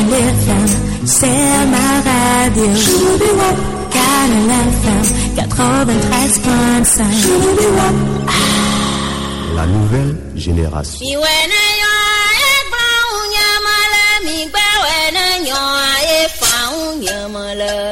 Canal FM, c'est ma radio. Canal FM 93.5. La nouvelle génération.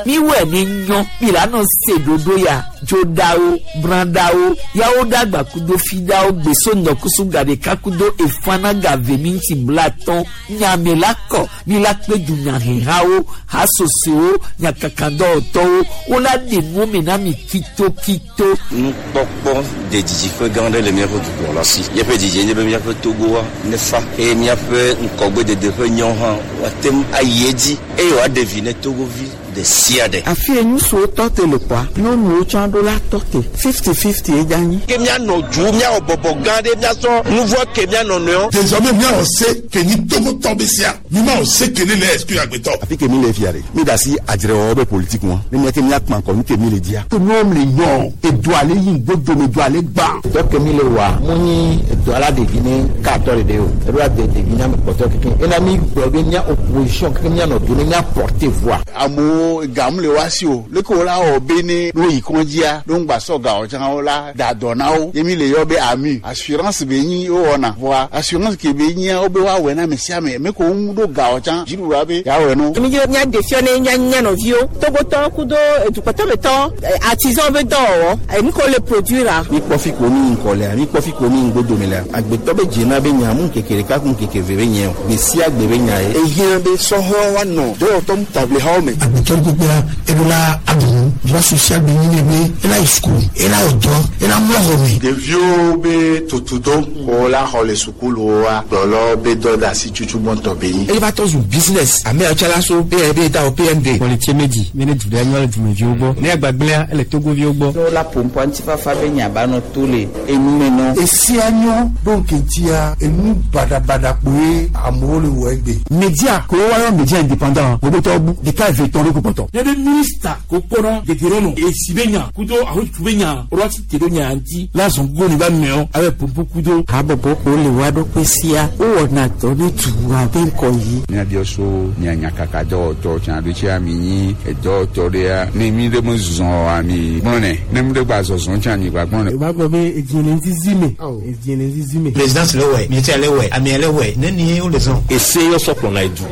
Miwɛ ni nyɔ milana se dodo ya dzodawo bradawo yawo dagba kudo fidawo gbeso nɔkusu gaɖeka kudo efana gave minti blatɔn nyame la kɔ mi la kpe dunyahehawo hasosowo nyakakadɔwɔtɔwo wola ɖe nuwo me na mi kitokito. Nukpɔkpɔ de didiƒe gã aɖe le míaƒe dukplɔla si. Míaƒe didie nye be míaƒe Togoa nefa eye míaƒe ŋkɔgbedede ƒe nyɔ hã woate ŋu ayi edzi eye wòaɖe vi ne Togovi ɖe sia ɖe. Afi ye ŋutsuwo tɔ te le kɔa, nyɔnuwo tsã ɖo la tɔ te. 50-50 ye dza nyi. Ke míanɔ du míawɔ bɔbɔ gã ɖe míasɔ nuvɔ ke míanɔ nɔewo. Désormais míawɔ se ke nyi Togotɔ be sia mi ma wɔ se ke ne le exclure agbetɔ. Afi ke mi le fia ɖe mi da asi adzrewɔwɔ be politique ŋua ne miake miakpã kɔ nu ke mi le dzia. To nuwo le nyɔ edu ale yi ŋgbodome edu ale gbã. Dɔ ke mi le wa mu nyi edu ala ɖevi ne katɔ ɖeɖe o eɖo ade ɖevi ne ame kpɔtɔ keke ena mi gblɔ be mía opposition keke mía nɔ do ne mía porter voix. Amewo gamu le wa si o leke wo la wɔ be ne no yi kɔndzia no ŋgba sɔ gawo tsã wo la da dɔ na wo ye mi le yɔ be ami assurance be nyi wo wɔna voa assurance ke be nyia wo be woawɔe na ame sia ame me ko ŋu ɖo gawo tsã dziɖuɖua be yeawɔe no. Mi dzi mía ɖe fia ne mía mía nɔviwo Togotɔ kudo edukɔtɔmetɔ artisan be dɔwɔwɔ enu ko le produire la. Mi kpɔ fi ko mi ŋkɔ lea mi kpɔ fi ko mi ŋgbodome lea agbetɔ be dzena be nya mu ŋkeke ɖeka ku ŋkeke eve be nye o gbe sia gbe be nya ye. Ehiã be sɔhɛwo woanɔ dɔwɔtɔ ŋutaʋlihawo me. Agbetɔ gbogboa eɖo la aɖu va sosia gbe nyi ne be ela yi sukulu ela wɔ dɔ ela mlɔ xɔ me. Ɖeviwo be tutudo ko la xɔ le sukuluwoa kplɔlɔ be dɔ da asi tutu gbɔntɔ be nyi. Eyi va tɔ zu business ame yawo tsã la so PNB ta o PND. Kɔlitie medzi mi ne du ɖe nyɔ le dumeviwo gbɔ ne agbagblẽa ele Togoviwo gbɔ. Ne wola ƒo ŋutifafa be nya ba nɔ to le enume nɔ. Esia nyɔ ɖo ŋkeŋtia enu baɖabaɖa kpoe amewo le wɔ egbe. Media ko woayɔ media indépendant wobetɔ bu ɖeka eve tɔn ɖo ko kpɔtɔ. Ne be minista ko kpɔnɔ dedere no esi be nya kudo ahotu be nya rɔti te ɖo nya ŋuti la zɔn go ne ba mɛɔ abe pompo kudo. Habɔbɔ ko le wa ɖokui sia wowɔna dɔ ne dua be ŋkɔ yi. Míabiɔ so mia nyakaka dɔwɔtɔ tsã ɖo tsia mi nyi edɔwɔtɔ ɖea ne mi ɖe me zɔ ami gblɔnɛ ne mi ɖe gba zɔzɔ tsã mi gba gblɔnɛ. O b'a gbɔ be edie le zizi me edie le zizi me. Présidence le wɛ ministère le wɛ amia le wɛ ne ni wo le zɔn. Ese yɔ sɔ kplɔna edu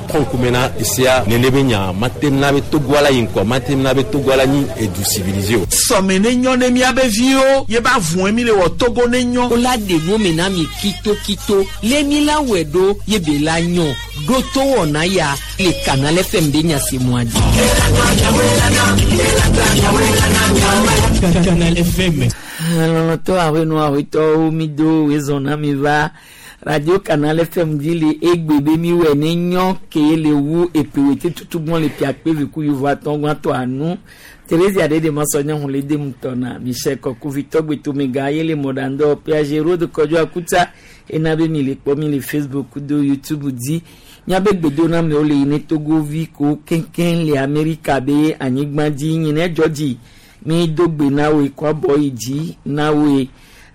kɔnkume na esea nene be nya mate na be Togo ala yi ŋkɔ mate na be Togo ala nyi edu civilisé o. Sɔme ne nyɔ ne miabe viwo ye ba vɔn mi le wɔ Togo ne nyɔ. Wola ɖe nuwo me na mi kitokito le mi la wɔe ɖo ye be la nyɔ ɖo to wɔna ya le Canal FM be nya se mua dzi. Canal FM. Lɔlɔtɔ aƒenɔ aƒetɔwo mi do wezɔn na mi va radio Canal FM dzi le egbe be mi wɔ ne nyɔ ke le wu eƒewete tutugbɔn le piakpe veku yovo atɔ gbãtɔ anu Thérésia ɖe de masɔ nye hun le dem tɔna Michel Kɔkuvi tɔgbetomega ye le mɔɖandɔ Piaget Rode Kɔdzo Akuta ena be mi le kpɔ mi le Facebook do YouTube dzi miabe gbedonamewo le yi ne Togovi ko keŋkeŋ le Amerika be anyigba dzi nyi ne dzɔ dzi mi do gbe na woe kɔ abɔ yi dzi na woe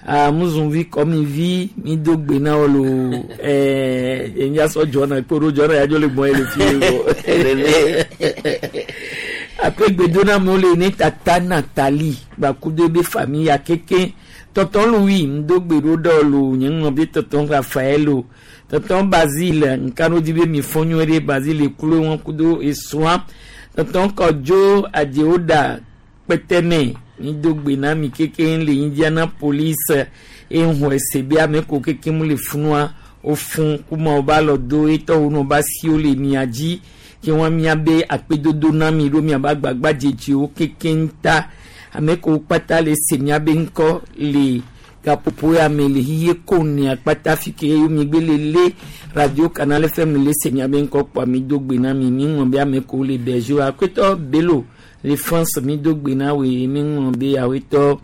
amuzunvi kɔmivi mi do gbe na wo lo ɛɛ enyasɔ dzɔna kporo dzɔna yadzo le gbɔn ye le fi ye ape gbedonamewo le ne tata Nathalie gbakudo ebe famille ya keke tɔtɔn Louis ŋdo gbe ɖo ɖe lo nye ŋlɔ be tɔtɔn Raphaël o tɔtɔn Basile nkano di be mi fɔ nyuie ɖe Basile klo wọn kudo esrɔ̃a tɔtɔn Kɔdzo Adzewoda kpɛtɛmɛ mi do gbe na mi keke le Indianapolis ehun ese be ame ko keke mu le funua wofun kuma wo ba lɔ do etɔwo no ba si wo le mia dzi ke wɔn mia be akpedodo na mi ɖo mia ba gbagba dzedziwo keke ŋuta ame ko kpata le se mia be ŋkɔ le gaƒoƒo ya me le xixe ko nea kpata fi ke mi gbe le le radio Canal FM le se mia be ŋkɔ kpɔa mi do gbe na mi mi ŋlɔ be ame ko le Belgique akpetɔ Bello le France mi do gbe na woe mi ŋlɔ be awetɔ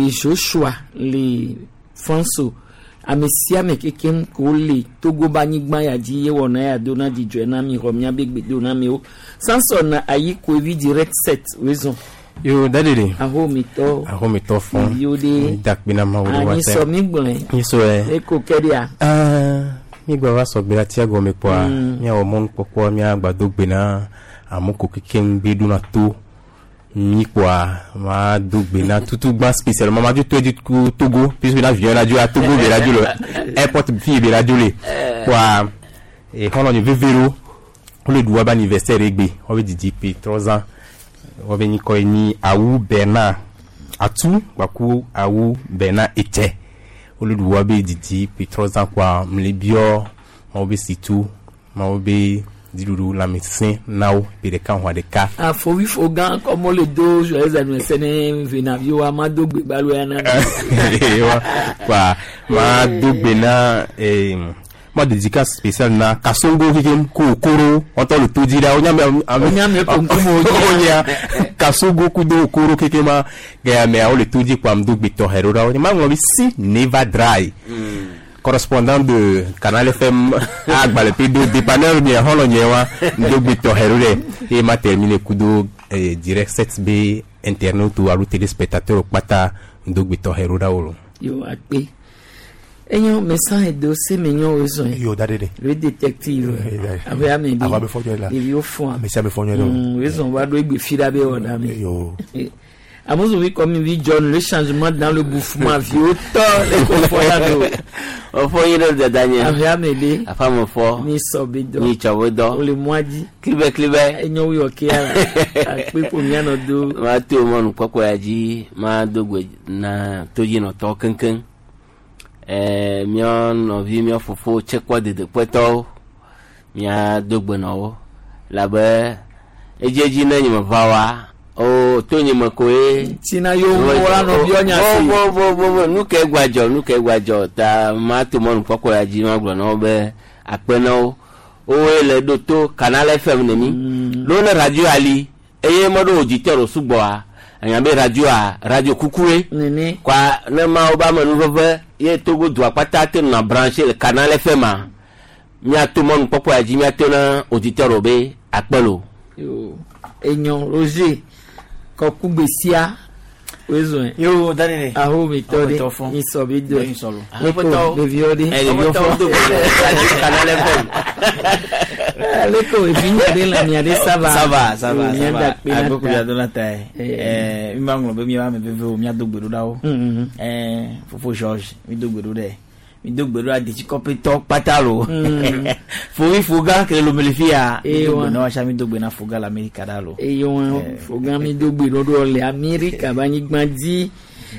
Joshua le France ame sia ame kekem ko le Togo be anyigba ya dzi ye wɔna ya do na dzidzɔe na mi xɔ miabe gbedo na miwo Samson ayi koevi direct set wezɔn. Yo dadede. Ahomitɔ. Ahomitɔ fɔn. Yo de. Dakpe na Mawu ɖe wa tɛ. Anyisɔ mi gblɔe. Nyisɔ yɛ. Eko kɛ dia. Aa Mi gba va sɔgbe la tia gɔme kpoa miawɔ mɔnukpɔkpɔ miagba do gbe na amewo kekeŋ be ɖona to mi kpoa ma do gbe na tutugba spécialement ma dzo to edzi ku Togo puisque na avion la dzo a Togo be la dzo le airport fi be la dzo le kpoa exɔlɔ nye veve ɖo wole ɖu woabe anniversaire egbe woabe didi ƒe 3 ans woabe nyikɔ ye nyi Awu Bernard Atu gbaku Awu Bernard Etse wole ɖu woabe didi ƒe 3 ans kpoa mle biɔ mawo be situ mawo be dziɖuɖu lãmesẽ na wo ƒe ɖeka hɔn ɖeka. Afɔwifo gã kɔmɔ le do joyeux anniversaire ne venaviwo ma do gbe gbalo ya na mi. Wa kpoa ma do gbe na ma dédicace spéciale na Kasongo kekem ko Okoro wɔtɔ le to dzi ɖa wonya ame Wonya ame ko ŋkume wo dzi. wonya Kasongo kudo Okoro kekema ke ameawo le to dzi kpoa do gbe tɔxɛ ɖo ɖa wo ma ŋlɔ be si never dry correspondant de Canal FM agbalẽ do dépanneur nye xɔlɔ nye wa do gbe tɔxɛ ɖo ɖe eye ma termine kudo direct 7 be internaute alo téléspectateur kpata do gbe tɔxɛ ɖo ɖa wo lo. Yo akpe. Enyo mesan edo se me nyo wezɔn. Yo da de de. Le détective. Abe ame bi. Awa be fɔ nyuie la. Ɖeviwo fɔa. Ame sia ame fɔ nyuie la. Wezɔn va ɖo egbe fi ɖa be wɔ ɖa me. Yo. Amozovi comme vi John, le changement dans le bouffement viwo tɔ le ko fɔ la do. Ofo yi ɖe dada nye. Abe ame ɖe. Afa me fɔ. Mi sɔ be dɔ. Mi tsɔ be dɔ. Wole mɔa dzi. Klibe klibe. Enyo wi ɔke ya la. Akpe ko mianɔ do. Ma to mɔnu kpɔkpɔ ya dzi ma do gbe na todzinɔtɔ keŋkeŋ. Míɔ nɔvi míɔ fofo tsekpɔ dedekpɔtɔwo mía do gbe na wo labe edziedzi ne nye me va wa o to nye me koe. Tina yo wala nɔ biɔ nya si. Bo bo bo bo nu ke gbadzɔ nu ke gbadzɔ ta ma to mɔnu kpɔkpɔ ya dzi ma gblɔ na wo be akpe na wo woe le ɖo to Canal FM ne mi ɖo ne radio ali eye meɖo auditeur o sugbɔa anya be radioa radio kukue Nene. Kwa ne mawo be amenuveve ye Togo dua kpata te nɔna branché le Canal FM a míato mɔnu kpɔkpɔ ya dzi míato na auditeur o be akpe lo. Yo enyo Roger kɔkugbe sia wezɔn. Yo danene. Aho mi tɔ de Aho mi tɔ fɔ. mi sɔ bi do. Mi sɔ lo. Ne ko ɖeviwo de. Ɖeviwo fɔ. Radio Canal FM. Ale ko evi nya ɖe le mia ɖe ça va. Ça va, ça va, Yo, mia ça va. da kpe na Agbeko ta. mia do na ta ye. Mi ma ŋlɔ be mi ame vevewo mia do gbe ɖo ɖa wo. Fofo George, mi do gbe ɖo ɖe. Mi do gbe ɖo ɖa detsikɔpetɔ kpata lo. Fovi foga ke le lomele fi ya. Mi do Ewa. gbe na wa sia mi do gbe na foga le Amerika ɖa lo. Eye wọn foga mi do gbe ɖoɖo le Amerika be anyigba dzi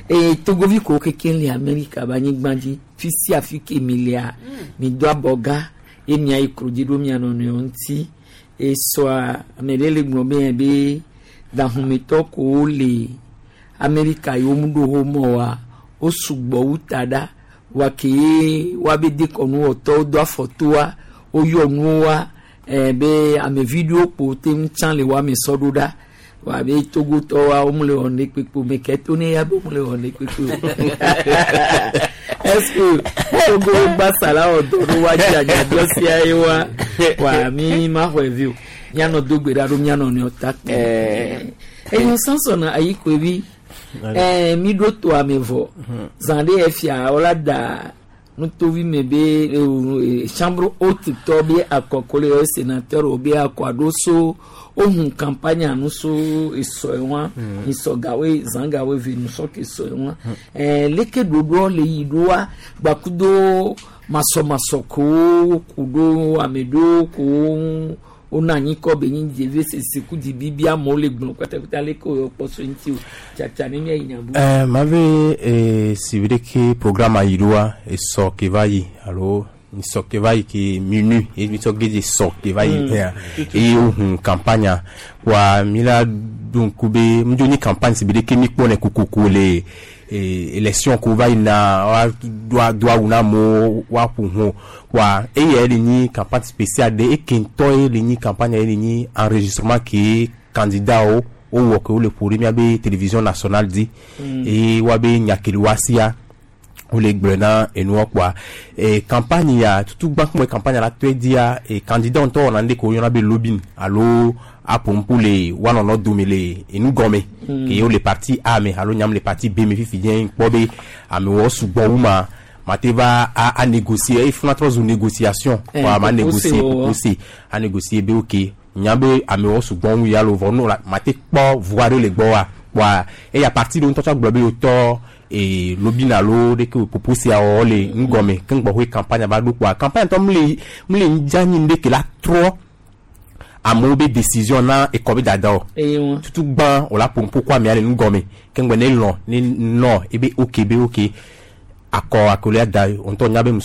eye togovi ko keke le Amerika be anyigba dzi fi sia fi ke mi lea mi do abɔga ye mia yi kro dzi ɖo mia nɔnɔewo ŋuti esɔa ame ɖe le gblɔ be yɛ be dahumetɔ kowo le Amerika yi wo mu ɖo wo mɔ wa wo sugbɔ wu ta ɖa wa ke ye woabe dekɔnuwɔtɔwo do afɔtoa woyɔ nuwo wa be amevi ɖewo kpo te ŋu tsã le woame sɔ ɖo ɖa wa be togotɔ wa wo mu le wɔ ne kpekpe o me ke to ne ya be wo mu le wɔ ne kpekpe o est ce que Togo gbasala wɔ dɔ ɖo wa dzi anyadɔ sia ye wa wa mi ma xɔe vi o mianɔ do gbe ɖa ɖo mianɔ nɔewo ta kpe enyɔ Samson ayi koe bi mi ɖo to ame vɔ zã ɖe efia wola da nutovi me be chambre haute tɔ be akɔkɔ le sénateur wo be akɔ aɖo so ohun campagne anu so esɔ ye wa isɔgawoe zãgawoe ve nusɔ ke sɔ ye wa leke ɖoɖoa le yi ɖoa gbakudo masɔmasɔ kowo ku ɖo ame ɖewo kowo wona anyi kɔ be nyi dzeve sese ku dzi bibi amewo le gblɔ kpatakpata leke woyɔ kpɔ so ŋuti o tsatsa ne miayi nya bu. Mave si veut dire que programme ayi ɖoa esɔ ke va yi alo sɔ ke va yi ke minu ye mi sɔ gedze sɔ ke va yi eye wohun campagne wa mi la ɖo ŋku be ŋudzo nyi campagne si veut dire que mi kpɔnɛ kokoko le élection ko va yina wa do awu na amewo woaƒo ʋu wa eya le nyi campagne spéciale ɖe eke ŋutɔ ye le nyi campagne ye le nyi enregistrement ke candidat wo wowɔ ke wole ƒo ɖe miabe télévision nationale dzi eye woabe nyakeliwoa sia wole gblɔe na enua kpoa campagne ya tutu gbã kuma campagne la tɔe dzia candidat ŋutɔ wɔna nu ɖe ke woyɔna be lobbying alo aƒo ŋku le woanɔnɔ dome le enu gɔme ke wole parti A me alo nyam le parti B me fifi dze kpɔ be amewo sugbɔ wu ma. Ma te va a négocier eye funa trɔ zu négociation. Eh, Wa ma popose négocier wɔwɔ. popose a négocier be ok nya be amewo sugbɔ ŋu ya lo vɔ no la ma te kpɔ voa ɖe le gbɔ wa wa eya parti ɖewo ŋutɔ tsɔ gblɔ be wotɔ ee lobina alo ɖeke o popose ya wɔwɔ le ŋgɔme keŋ gbɔxɔe campagne va ɖo kpoa campagne ŋutɔ mle mle ŋdza nyi ɖe ke la trɔ amewo be décision na ekɔ be dada o Eye wɔn. tutu gbã wòla ƒo ŋku kɔ amea le ŋgɔme keŋgbɛ ne lɔn ne nɔ ebe ok be ok akɔ akolia da ŋutɔ nya be mi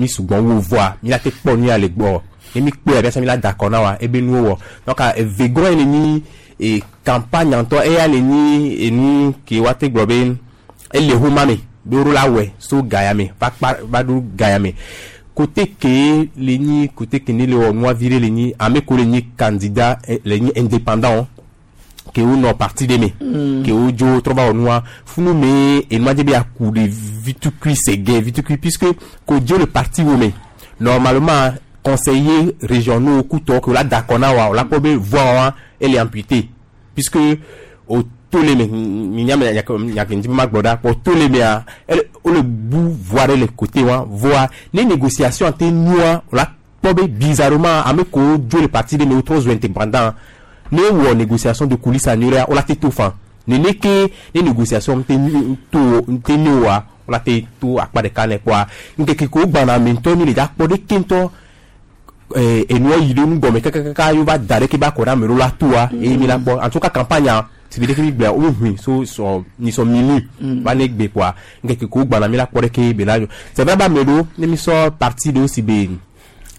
sugbɔ wu voa mi la te kpɔ nu ya le gbɔ ne mi kpɔe abia mi la da akɔ na wa ebe nuwo wɔ donc eve gɔn ye le nyi e campagne ŋutɔ eya le nyi enu ke wa te gblɔ be ele homa me be woɖo la wɔe so ga ya me va kpa va ɖo ga ya me côté ke le nyi côté ke ne le wɔ nua vi ɖe le nyi ame ko le nyi candidat eh, le nyi indépendant ke wo nɔ parti ɖe me ke wo dzo trɔ va wɔ nua funu me enua dze be aku ɖe vitukui sege vitukui puisque ko dzo le parti wo me normalement conseiller régionaux kutɔ ke wo la da akɔ na wa wo la kpɔ be voix wa ele amputé puisque o to le me minya me nyake ŋuti be ma gblɔ ɖa kpɔ to le mea ele wole bu voix ɖe le côté wa voa ne négociation te nua wo la kpɔ be bizarrement ame kewo dzo le parti ɖe me wotrɔ zu indépendant ne wɔ négociation de coulisse anyuie ɖea wo la te to fan nene ke ne négociation te nu to te ne oa wo la te to akpa ɖeka ne kpoa ŋkeke kewo gbana ame ŋutɔ mi le dza kpɔ ɖeke ŋutɔ eh, enua yi ɖe nu gɔme kakakaka ye wova da ɖeke be akɔ ɖe ame ɖewo la toa eye mi la kpɔ en tout cas campagne si be ɖeke mi gblɔa wo hui so sɔ nyisɔ minui va ne gbe kpoa ŋkeke kewo gbana mi la kpɔ ɖeke be la c'est vrai be ame ɖewo ne mi sɔ parti ɖewo si be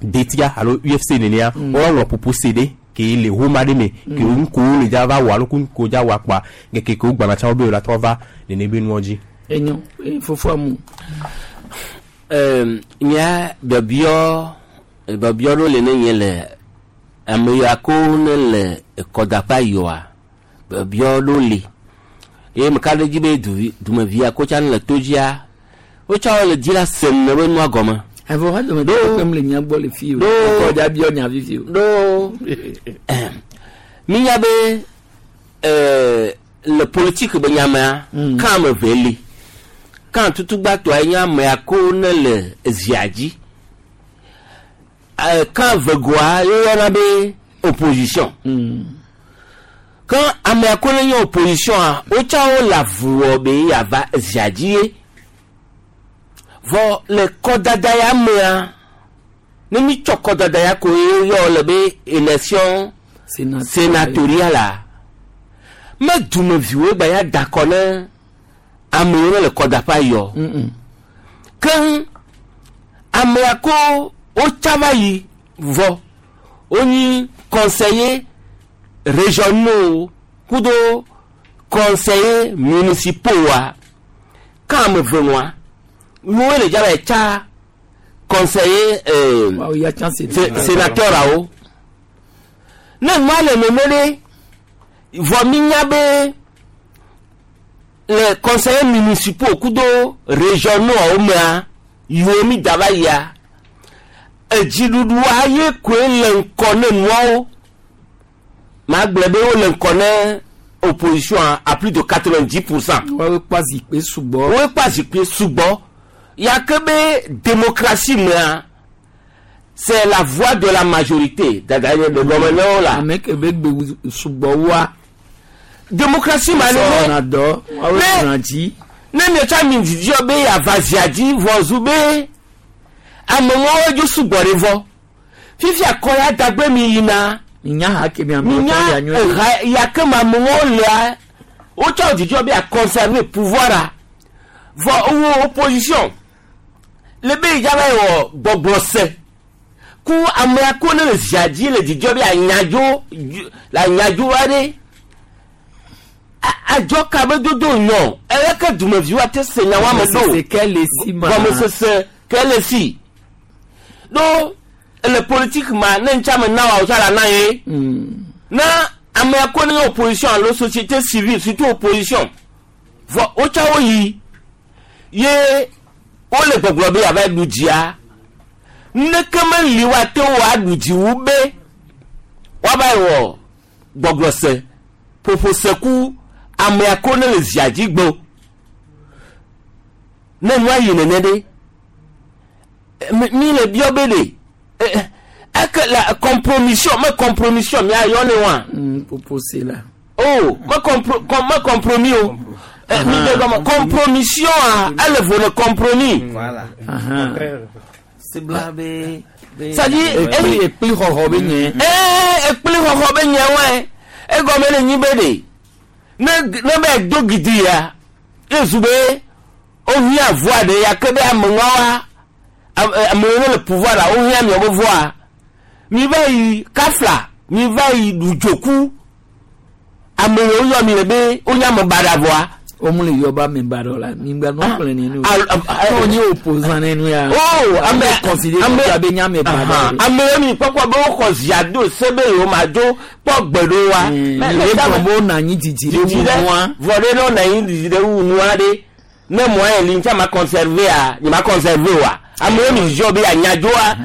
DETIA alo UFC nenea woŋlɔ popose ɖe ke le homa ɖe me ke wo ŋkuwo le dza va wɔ alo ku ŋkuwo dza wɔ kpoa ŋkeke kewo gbana tsã wo be wo la trɔ va nene be nuwo dzi. Enyo eye fofoa mu. Nya biɔbiɔ biɔbiɔ ɖewo le ne nye le ame ya ko ne le ekɔdaƒe yɔa biɔbiɔ ɖewo li eye meka ɖe dzi be duvi dumevia ko tsã le to dzia wotsã wole dzi la sem ne be nua gɔme. Avɔ ha dome ɖe kpem le nya gbɔ le fi o. Ɖo- Ekɔ dza biɔ nya fifi o. Ɖo minya be le politique be nyamea kan ame eve li kan tutugbatɔa nye amea ko ne le ezia dzi kan vegoa woyɔna be opposition kan amea ko ne nye opposition a wotsã wo le avu wɔ be yeava ezia dzi ye vɔ le kɔdada ya mea ne mi tsɔ kɔdada ya ko ye yɔ le be élection sénatoriale la me dumeviwo gba ya da akɔ ne amewo ne le kɔdaƒea yɔ keŋ amea ko wotsa va yi vɔ wonyi conseiller régionaux kudo conseiller municipaux wa kan ame ve nua nuwo le dza va yi tsa conseiller Wa ya tsã sénateur awo ne nua le nene ɖe vɔ mi nya be le conseiller municipaux kudo régionaux awo mea yiwo mi da va yia edziɖuɖua ye koe le ŋkɔ ne nuawo maa gblɔ be wole ŋkɔ ne opposition à plus de 90%. Woawoe kpɔ zikpui sugbɔ. Woawoe kpɔ zikpui sugbɔ ya ke be démocratie mea c'est la voix de la majorité dada ye le gɔme ne wo la. Ame ke be gbe sugbɔ wa. Démocratie ma ne Sɔna dɔ woawoe sɔna dzi. ne miatsa mi dzidziɔ be yeava zia dzi vɔ zu be amewo dzo sugbɔ ɖe vɔ fifia kɔ ya dagbe mi yina. Minya ha ke mi amewo minya tɔ ya nyuie. eha ya ke ma amewo lea wotsɔ dzidzɔ be a conserver pouvoir a vɔ wo opposition le be yidza va yi wɔ gbɔgblɔ se ku amea ko ne le zia dzi le dzidzɔ be anyadzo le anyadzo aɖe adzɔ ka be dodo nyɔ eleke dumeviwo ate se nya wa me ɖo Gɔmesese ke le si ma. Gɔmesese ke le si ɖo le politique ma ne ŋtsa me na wa o tsa la na ye na amea ko ne nye opposition alo société civile, surtout opposition, vɔ wotsa wo yi ye wole gbɔgblɔ be yeava ɖu dzia neke meli woate wo aɖu dzi wu be woava yi wɔ gbɔgblɔ se ƒoƒo se ku amea ko ne le zia dzi gbɔ ne nua yi nene ɖe. Mi le biɔ be de eke la compromission me compromission mia yɔ ne wa. Proposé la. Oh, me compro com me compromis o. Mi de gɔmɔ compromission a ele vo le compromis. Voilà. Sebla be. C'est-à-dire ekpli xɔxɔ be nye. Ee ekpli xɔxɔ be nye wɛ. Egɔme le nyi be de ne ne bɛ do gidi ya ezu be wohiã voa ɖe ya ke be ameŋawoa amewo ne le pouvoir la wohiã miawo be voa mi va yi kafla mi va yi ɖudzoku amewo yɔ mi le be wonye ame baɖa voa. Womu le yɔ be ame baɖa la mi gba nɔ xlẽ nenu. Ne wonye opposant nenu ya. Oh ame considéré comme be nye ame baɖa. Amewo mi kpɔkpɔ be woxɔ zia do se be yewo ma dzo kpɔ gbe ɖo wa. Mi le gblɔ be wonɔ anyi didi ɖe wu nua. Vɔ ɖe ne wonɔ anyi didi ɖe wu nua ɖe ne mɔ ye li ŋuti ma conserver a nye ma conserver wa amewo mi ziɔ be anyadzoa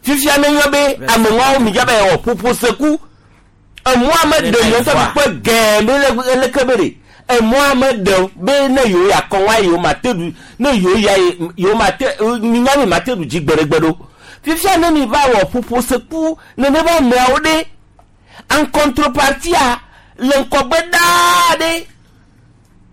fifia ne nyɔ be ameŋɔwo mi dza be wɔ ƒoƒo seku emɔa me ɖe nyɔ sɔ mi kpɔ gɛɛ be le leke be ɖe emɔa me ɖe be ne yewo ya kɔn wa yewo ma te ɖu ne yewo ya yewo ma te minya mi ma te ɖu dzi gbeɖegbe ɖo fifia ne mi va wɔ ƒoƒo seku nene be ameawo ɖe en contrepartie le ŋkɔgbe ɖaa ɖe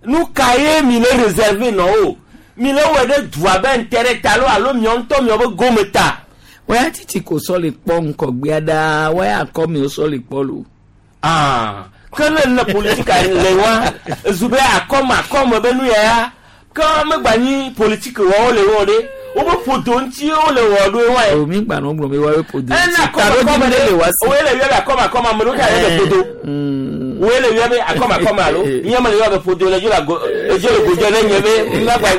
nu ka ye mi le réserver nɔ o mi le wɔ ɖe dua be ŋtɛ ta lo alo miɔ ŋutɔ miɔ be gome ta. Wọ́n títí kò sọ lè kpọ́ nkọ̀gbé dáa wọ́n yà kọ́ mi ó sọ lè kpọ́ lò. Ke ne le politika le wa ezu be akɔme akɔme be nu ya ya ke megba nyi politique wɔwo le wɔ ɖe wobe ƒodo ŋuti wole wɔ ɖo wa ye. Omi gba nɔ gblɔ be wa be ƒodo ŋuti. Ena akɔme akɔme ɖe le wa si. Woye le yɔ be akɔme akɔme ame ɖewo ka yɔ be ƒodo. Woye le yɔ be akɔme akɔme alo nye me le yɔ be ƒodo le dzo le go edzo le godzo ne nye be ŋgba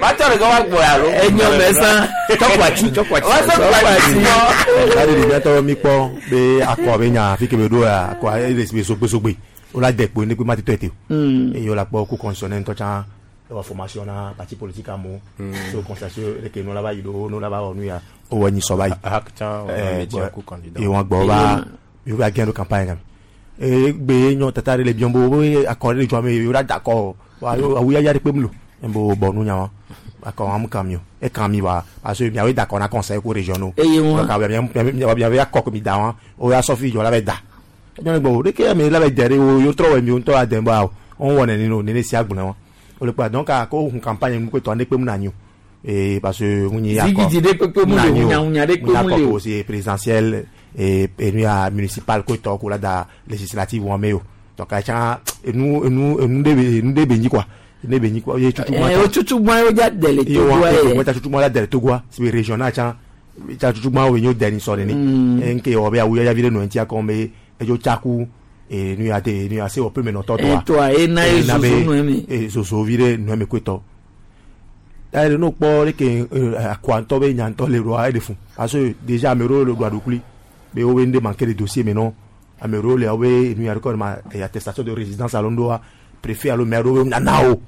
matɔ ɖe ke wa gbɔ alo. Enyo mɛ san. Tsɔkpatsi tsɔkpatsi. Wa sɔkpatsi. Tari ɖevia tɔ mi kpɔ be akɔ be nya fi ke be ɖo ya akɔ ele be sogbesogbe wola de kpo ne kpe ma te tɔ ete o. Eye wola kpɔ ko constitutionnel ŋutɔ tsã ewɔ formation na parti politique amewo so constitution leke nu la va yi ɖo nu la va wɔ nu ya wowɔ nyi sɔ va yi. Eye wɔn gbɔ va yewo va gɛn ɖo campagne game. Eye gbe nyɔ tata ɖe le biɔm bo be akɔ ɖe le dzɔ ame yewo la da akɔ awu yaya ɖe kpe mu lo bo bɔ nu nya wa akɔ wɔn kan mi o ekan mi wa parce que miawoe da akɔ na conseil ko régionaux. Eye wɔn miawoe akɔ ko mi da wɔn o ya sɔfi dzɔ la bɛ da nyɔnu gbɔ o de ke ame la bɛ dɛ ɖe o yewo trɔ wɔ mi o ŋutɔ adɛ ba o wɔn wɔ nene o nene sia gblẽ wɔn o le kpa donc a ko hun campagne nu ko tɔ ne kpe mu na nyi o ee parce que ŋu nyi akɔ Zigidi ɖe kpekpe mu le o, hunyahunya ɖe kpe mu le akɔ o. ko c'est présidentiel et enu ya municipal ko tɔ ko la da législative wɔn me o donc a tsã enu enu enu ɖe be enu ɖe be nyi quoi enu ɖe be nyi quoi ye tutu Ɛ o tutu gbɔn ye o dza dɛ le Togoa ye ye. o tutu gbɔn la dɛ le Togoa si be régional tsã tsa tutu gbɔn wo nyo dɛ ni sɔ nene nke wɔ be awu yayavi ɖe nɔ ŋuti akɔ be edzo tsaku enu ya te enu ya se wɔ pe me nɔtɔ tɔa Tɔa ena ye zozo nɔ eme. e zozo vi ɖe nɔ eme koe tɔ ta ɖe no kpɔ leke akɔa ŋutɔ be nya ŋutɔ le ɖoa eɖe fun parce que déjà ame ɖewo le ɖoa ɖokui be wo be ŋɖe manque de dossier me nɔ ame ɖewo le wo be enu ya ɖe kɔ ma attestation de résidence alo ŋɖoa préfet alo maire ɖewo be nana wo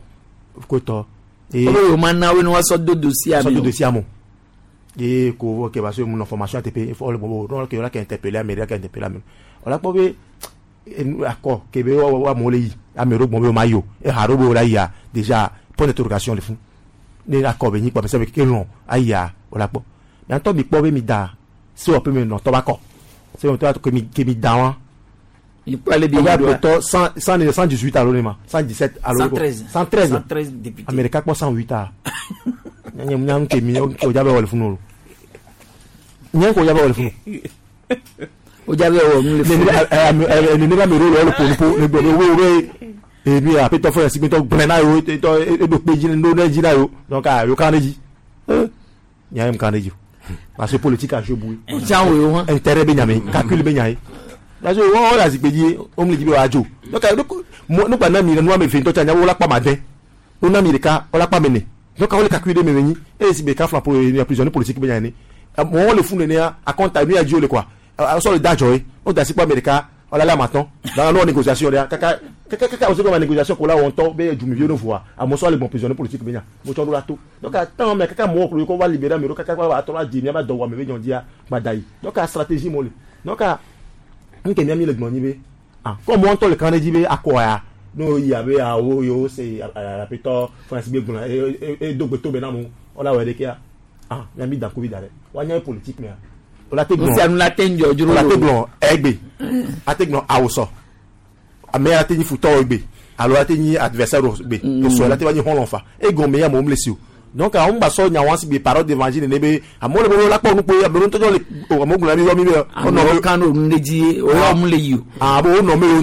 koe tɔ. Wo be yewo ma na wo ne woasɔ do dossier sɔ ame do o. dossier ame o ye ko ok parce que mun na formation ATP fɔ le bɔ n'o ke la ka interpeller ame la ka interpeller ame o la kpɔ be enu akɔ ke be wa wa amewo le yi ame ɖewo gbɔn be wo ma yi o eha ɖewo be wo la yia déjà point d'interrogation le fún ne akɔ be nyi kpɔ ame ke lɔn ayia o la kpɔ miatɔ mi kpɔ be mi da se wɔ pe mi nɔtɔ ba kɔ se wɔ tɔ ke mi ke mi da wa. Mi kpɔ ale bi O yi b'a ɖoa. tɔ 100 100 118 alo ne ma 117 alo 113. 113 113 députés. Amérique kpɔ 108 a nye nya nke mi o dza bɛ wɔ le funu o nye ko dza bɛ wɔ le funu. O dza bɛ wɔ nu le funu. Nene ba mi ro le wɔ le ƒo ne gblɔ be wo be emi apetɔ fɔ yasi gbɛtɔ gblẽ na yewo etɔ eɖo kpe dzi no ne dzi na yewo donc a yewo kan ne dzi nya ye mu kan ne dzi o parce que politique a joué boué. O tsã wo yewo hã. Intérêt be nya me calcul be nya ye parce que wo wo le azikpe dzi wo mu le dzi be wa dzo donc ne kpa na mi nua me ve ŋutɔ tsa nya wo la kpa ma dɛ wo na mi ɖeka wo la kpa me ne donc wo le calcul ɖe me me nyi eye si be ka fla po prisonnier politique be nya ene mɔgɔwo le funu nenea akɔnta nu ya dzi wo le quoi sɔ le da dzɔ ye wo da si kpɔ ame ɖeka wala la matɔn dans leur négociation ɖea kaka kaka kaka o se kɔ ma négociation ko la wɔn tɔ be dzumiviwo ne voa amewo sɔ le gbɔn prisonnier politique be nya mo tsɔ ɖo la to donc atan mɛ kaka mɔgɔwo klo ko va libérer ame ɖewo kaka va atɔ la dzi miaba dɔ wɔ ame be nyɔ dzia gba da yi donc stratégie mo le donc nke mia mi le gbɔn nyi be ah kɔ mɔ ŋutɔ le kan ɖe dzi be akɔ ya n'o yi abe awo yewo se apetɔ France be gblɔ e do gbe to be na mo wala wɔ ɖekea Ah, mia mi da ŋkuvi da ɖe. Woanya politique mea. Wola te gblɔ. Nu sia nu la te ŋdzɔ dzro Wola te lo. gblɔ egbe. Ate gblɔ awosɔ. Ame ya te nyi futɔwo egbe alo ate nyi adversaire wo gbe. Esɔ la te va nyi xɔlɔ̃ fa. Egɔme ya amewo mle si o. Donc awo ŋgba sɔ nya wa si gbe parole d'évangile nene be amewo le be wola kpɔ nukpo amewo ŋutɔ le o amewo gblɔ na mi yɔ mi be Amewo kan ɖo nu ɖe dzi o yɔ mu le yi o. Ah bo wonɔ me o o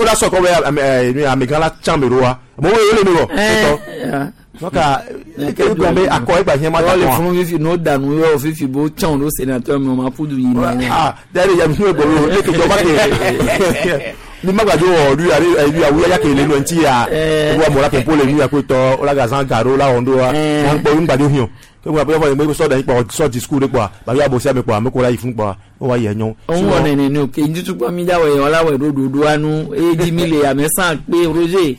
o la sɔ kɔ be ame ɛ amegã la tsã me ɖoa amewo wo le me wɔ. Etɔ. Donc egɔme be akɔ egba hiã ma Wọ́n lè ta kɔn. fún fífi n'o dànù yọ fífi bó tsɔn ló sénateur mi o ma ƒudu yi nà. Ah, d'ailleurs, il y a mieux que le que jọba ke. Ni ma gbadzo wɔ lu ya lu ya wuya ke le nu ŋuti ya. Wo amewo la pɔmpo le nu ya ko tɔ, wo la gazan garo la wɔn do wa. Wɔn kpɔ nu gbadzo hiã. Ke wo aƒe fɔ sɔ da yi kpɔ sɔ discours de kpɔa, ba ya bo sia me kpɔa, ame ko la yi fún kpɔa, wo wa yi enyɔ. Òun wɔ nene ni o ke ntutukpɔ mi dawɔ yɛ wala wɔ ɖo ɖoɖo anu eye dzi mi le ame san kpe Roger.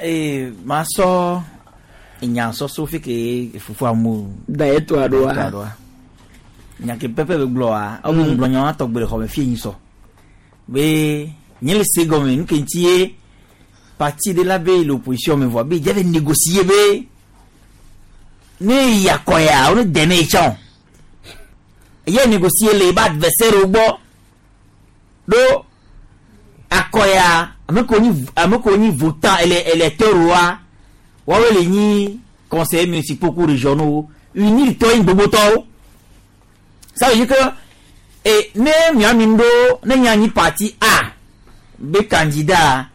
Ee ma sɔ nya sɔsɔ fi ke fufu amu. Da yɛ to aɖoa. Nya ke pɛpɛ be gblɔa, awo be gblɔ nya wa tɔgbe le xɔme fie nyi sɔ. Be nye le se gɔme nu ke ŋuti ye parti de la be l'opposition me voit be dze négocier be ne yi akɔya wo ne dɛmɛ yi tsã o. Ye négocier le ebe adversaire wo gbɔ ɖo akɔya ame kewo nyi ame kewo nyi votant ele électeur woa woawoe le nyi conseillers municipaux ku régionaux unir tɔ yi gbogbotɔwo. Ça veut dire que e ne miami ɖo ne nya nyi parti A be candidat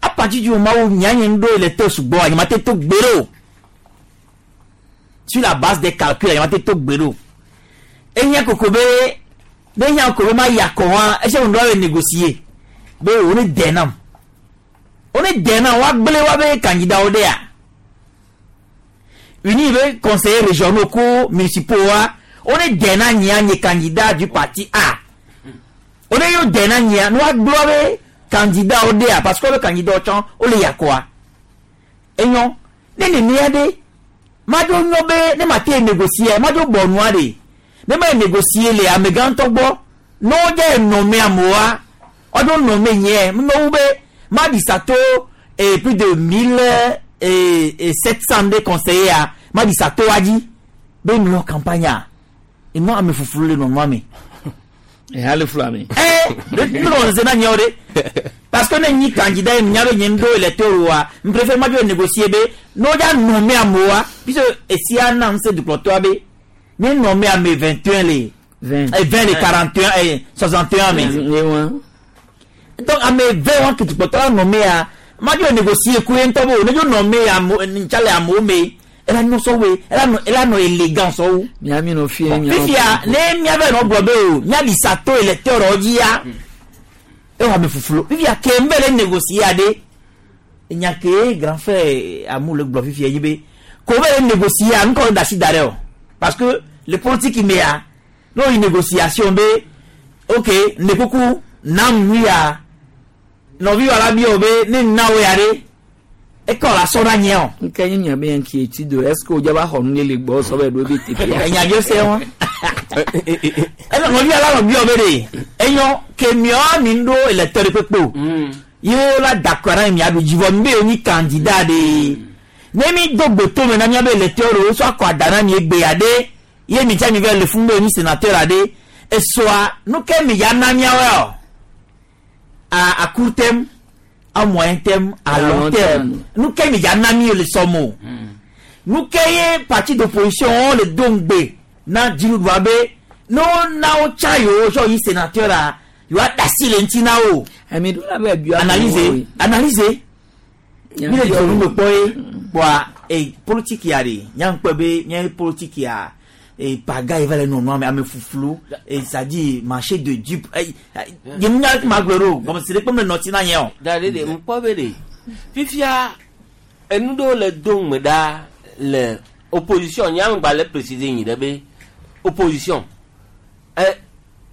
à partir du moment où mia nye ɖo électeur sugbɔ nye ma te to gbe ɖe o. Sur la base des calculs nye ma te to gbe ɖe o. Ehiã koko be ne ehiã koko be ma yi akɔ hã ese wo ŋdɔ le négocier be wo ne dɛ nam wo ne dɛ nam woagblẽ woabe candidat wo ɖea uni be conseillers régionaux ku municipaux wa wo ne dɛ na nyia nye candidat du parti A wo ne yo dɛ na nyia ne woagblẽ woabe candidat wo ɖea parce que woabe candidat wo tsã wo le yi akɔa enyɔ ne nenea ɖe madzo nyɔ be ne ma te négocier madzo bɔ nua ɖe ne ma négocier le amegãtɔ gbɔ ne wodze nɔme amewoa woadzo nɔme nyɛ mewu be ma ɖi sa to eh, plus de 1700 de conseillers a ma ɖi sa to wa dzi be nɔ campagne a enɔ ame fufulu le nɔnɔa me. Eha le flu ame. Eh, ne nɔ se na nyɛwo ɖe parce que ne nyi candidat ye nya be nye ŋɖo électeur wa n préfère ma dzo négocier be ne wodza nɔme amewoa puisque esia na ŋusẽ dukplɔtɔa be ne nɔme ame 21 le. 20. 20 le 41 61 me. Donc ame 20 wa ke dukplɔtɔ la nɔme ya ma dzo négocier ku ye ŋutɔ be o ne dzo nɔme ame ntsa le amewo me ela nyɔ sɔwoe ela nɔ ela nɔ élégant sɔwo. Miami nɔ fie mia. Fifia ne miave nɔ gblɔ be o miaɖi sa to électeur wo dzi ya ewɔ ame fufulo fifia ke n bɛ le négocier aɖe nya ke grand frère amu le gblɔ fifia yi be ko bɛ le négocier nukɔ da si da ɖe o parce que le politique me ya n'o yi négociation be ok ne kuku nam nu ya nɔvi wa la bi o be ne na wo ya ɖe ekɔ la sɔ na nye o. Nke nye nya be yan ki etsi do est-ce que o dza ba xɔ nu le gbɔ sɔ bɛ ɖo be teƒea. Enya bi se wa ɛnɛ nɔvi ala nɔ bi o be de enyɔ ke miɔ mi ɖo électeur de kpekpe o ye la d'accord na mia ɖu dzivɔ mi be ye nyi candidat de ne mi do gbe me na miabe électeur o sɔ akɔ ada na mi egbe ya ɖe ye mi tsa mi vɛ le fún be ye nyi sénateur aɖe esɔa nu ke mi ya na miawoe o à court terme, à moyen terme, à long terme, nu ke mi ya na mi le sɔmɔ o nu ke ye parti d'opposition wo le do ŋgbe na dziɖuɖua be ne wo na wo tsa yewo sɔ yi sénateur a yewoa da asi le ŋuti na wo. Emi ɖo la be bia. Analyse analyse mi le dzɔ nu me kpɔ ye kpɔa e politique ya de nyaŋkpɛ be nye politique ya e paga yi va le nɔnɔa me ame fuflu e c'est-à-dire marché de dupe e ye nu nya ma gblɔ ɖo gɔmesi ɖe kpɔm le nɔti na nye o. Da ɖe ɖe ŋkpɔ be ɖe fifia enu ɖewo le do ŋme ɖa le opposition nye ame gba le préciser nyi ɖe be opposition ɛ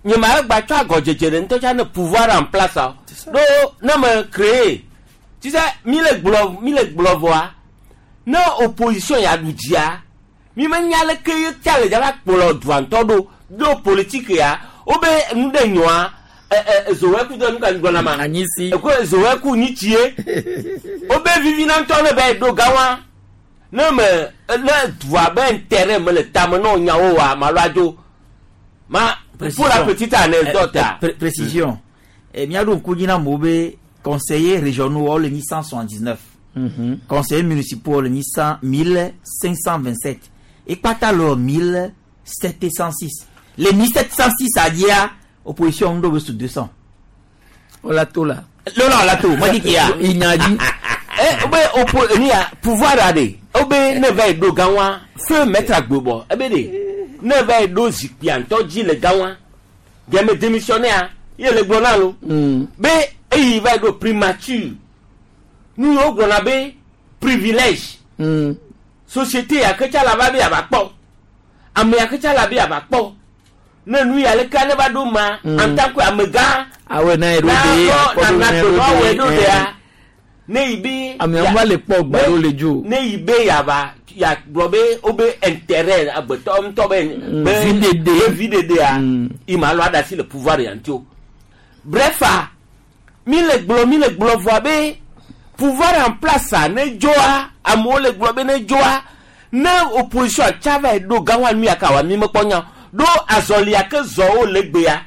nye ma gba tsɔ agɔdzedze ɖe ŋutɔ tsa ne pouvoir en place a ɖo ne me créé tu sais mi le gblɔ mi le gblɔ vɔa ne opposition ya ɖu dzia mi me nya leke ye tsa le dzava kplɔ dua ŋutɔ ɖo ɖo politique ya wobe nu ɖe nyoa ɛ ɛ zoweku de nu ka gblɔna ma anyisi eko zoweku nyitsie wobe vivina ŋutɔ ne be ɖo gawa Ne me ne dua be intérêt me le tame na nyawo wa ma lo adzo. Ma pour la petite anecdote. Précision. Miaɖo ŋku dzi na amewo be conseillers régionaux wo le nyi 179. Conseillers municipaux wo le nyi 100 1527. Ekpata le wɔ 1706. Le 1706 adzia opposition ŋu ɖo be su 200. Wala to la. Lọ́nà ọ̀la tó mọ́tí kìá. Ìyànjú. Ẹ be opo ni ya pouvoir a de o be ne va yi ɖo gã wa feu maître agbebɔ ebe de ne va yi ɖo zikpuia ŋutɔ dzi le gã wa gɛmɛ démissionnaire ye le gblɔ na lo be eyi va yi ɖo primature nu yiwo gblɔna be privilège société ya ke tsa la va be yava kpɔ ame ya ke tsa la be yava kpɔ ne nu ya leke ne va ɖo ma en tant que amegã Awɛ na ye ɖo de na na to awɛ ɖo dea ne yi be Amewo va le kpɔ gba ɖo le dzo. ne yi be yava ya gblɔ be wo be intérêt agbetɔ ŋutɔ be be Viɖeɖe. be viɖeɖea yi ma lɔ aɖasi le pouvoir ya ŋuti o bref mi le gblɔ mi le gblɔ vɔa be pouvoir en place a ne dzoa amewo le gblɔ be ne dzoa ne opposition tsa va yi ɖo gã wa nu ya ka wa mi mekpɔ nya o. Ɖo azɔlia ke zɔ wo le gbea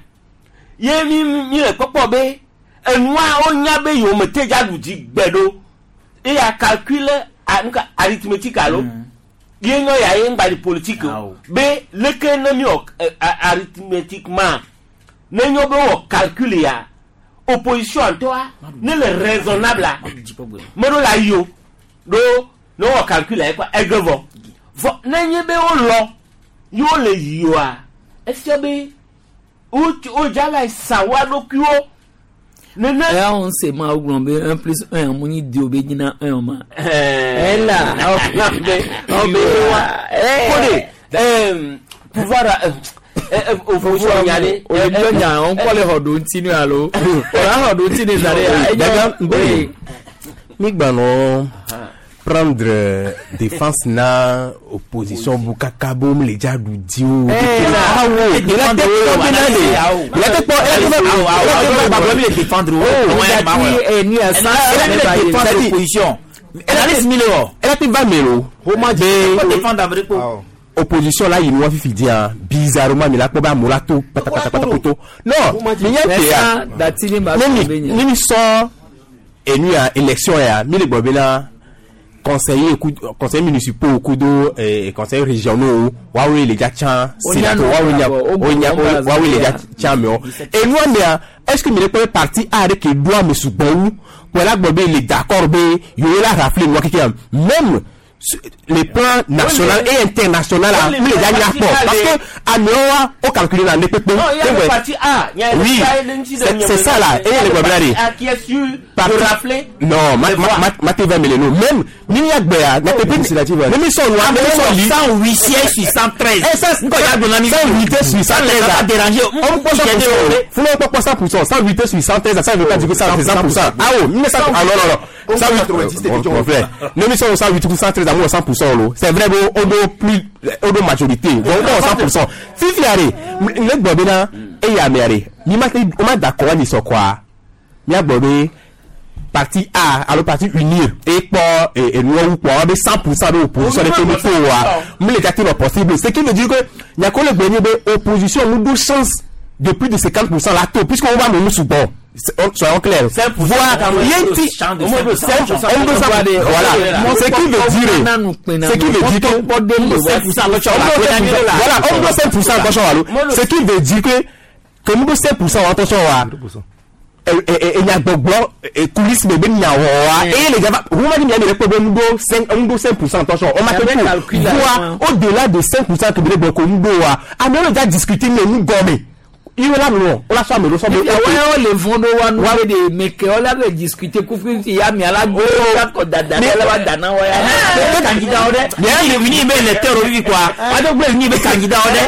ye mi mi le kpɔkpɔ be enua wonya be yewo me te dza ɖu dzi gbe ɖo eya calcul a nuka arithmétique alo ye nyɔ ya ye ŋgba di politique o be leke ne mi wɔ arithmétiquement ne nyɔ be wɔ calcul ya opposition ŋutɔa ne le raisonnable a meɖo la yi o ɖo ne wɔ calcul ya kɔ ege vɔ vɔ ne nye be wolɔ ye wole yi oa efia be wo wodza va yi sa woa ɖokuiwo nene. Eya wɔn se ma wo gblɔ be 1 plus 1 mu nyi deux be nyina 1 ma. Ela. Aw be wa kode pouvoir opposition nya de. O le gbɔ nya o kɔ le xɔ ɖo ŋuti nu alo. O la xɔ ɖo ŋuti ne zã ɖe ya. Daga, mi gbanɔ prendre défense na opposition bu kaka bo mi le dza ɖu di o. Awo, il a te kpɔ bena de. Il a te kpɔ, il a te kpɔ, il a te défendre o. Opposition. Elle a te va melo. Be opposition la yi nu wa fifi dia bizarrement mi la kpɔ be amewo la to patapatapata poto. Non, mi nya te ya. Ne mi ne mi sɔ enu ya élection ya mi le gbɔ bena conseiller conseiller municipaux kudo conseiller régionaux woawoe le dza tsã sénateur woawoe nya wonya woawoe le dza tsã mewo enua mea est ce que mi le kpɔ be parti A ɖe ke ɖo ame sugbɔ wu kpɔ la gbɔ be le d'accord be yewo la rafle nua keke même le plan national et international a mi le dza nya kpɔ parce que amewo wa wo calculer na ne kpekpe. Non, il y a le parti A. Il y a Oui, c'est ça là. Et le problème A qui est sûr de rafler. Non, ma ma ma te va mêler nous. Même ni ya gbea, na pepe ni mi sɔn wa, mi sɔn li. 108 sièges sur 113. Eh ça, Nko ya gbona mi. 108 sur 113. Ça déranger. On peut 100%. Funa on peut 100%. 108 sur 113, ça veut pas dire que ça c'est 100%. Ah oh, 1900 ah non non non. 108 mon frère. Ne mi sɔn 108 ou 113 à moi 100% lo. C'est vrai bon, on do plus on do majorité. Donc on 100%. Fifi are, ne gbɔ bena eya me are. Mi ma te o ma d'accord ni sɔ quoi. Mi a gbɔ be parti A alo parti unir e kpɔ enuwo kpɔ be 100% de opposition de ke mi to wa mi le gâter le possible ce qui veut dire que nyako le gbe nye be opposition nous do chance de plus de 50% la to puisque on va nous sugbɔ soyons clairs voilà voilà ce qui veut dire ce qui veut dire que voilà on do 5% attention alo ce qui veut dire que nous do 5% attention wa enyagbɔgblɔ kulisi bebe nyawɔa eye le dzava woma ni miami le kpɔ be ŋdo 5 ŋdo 5% attention on ma te ko voa au delà de 5% ke bele gbɔ ko ŋdo wa amewo le dza discuter ne nu gɔme iwo la nɔ o la sɔ ame ɖo sɔ be. Wa le vɔn ɖo wa nu be de meke wo la be discuter kufi ya mi ala gbo la kɔ dada ɖe la wa dana wa ya. Candidat wo ɖe. Ni ni be électeur wo vivi quoi. Wa do gbe ni be candidat wo ɖe.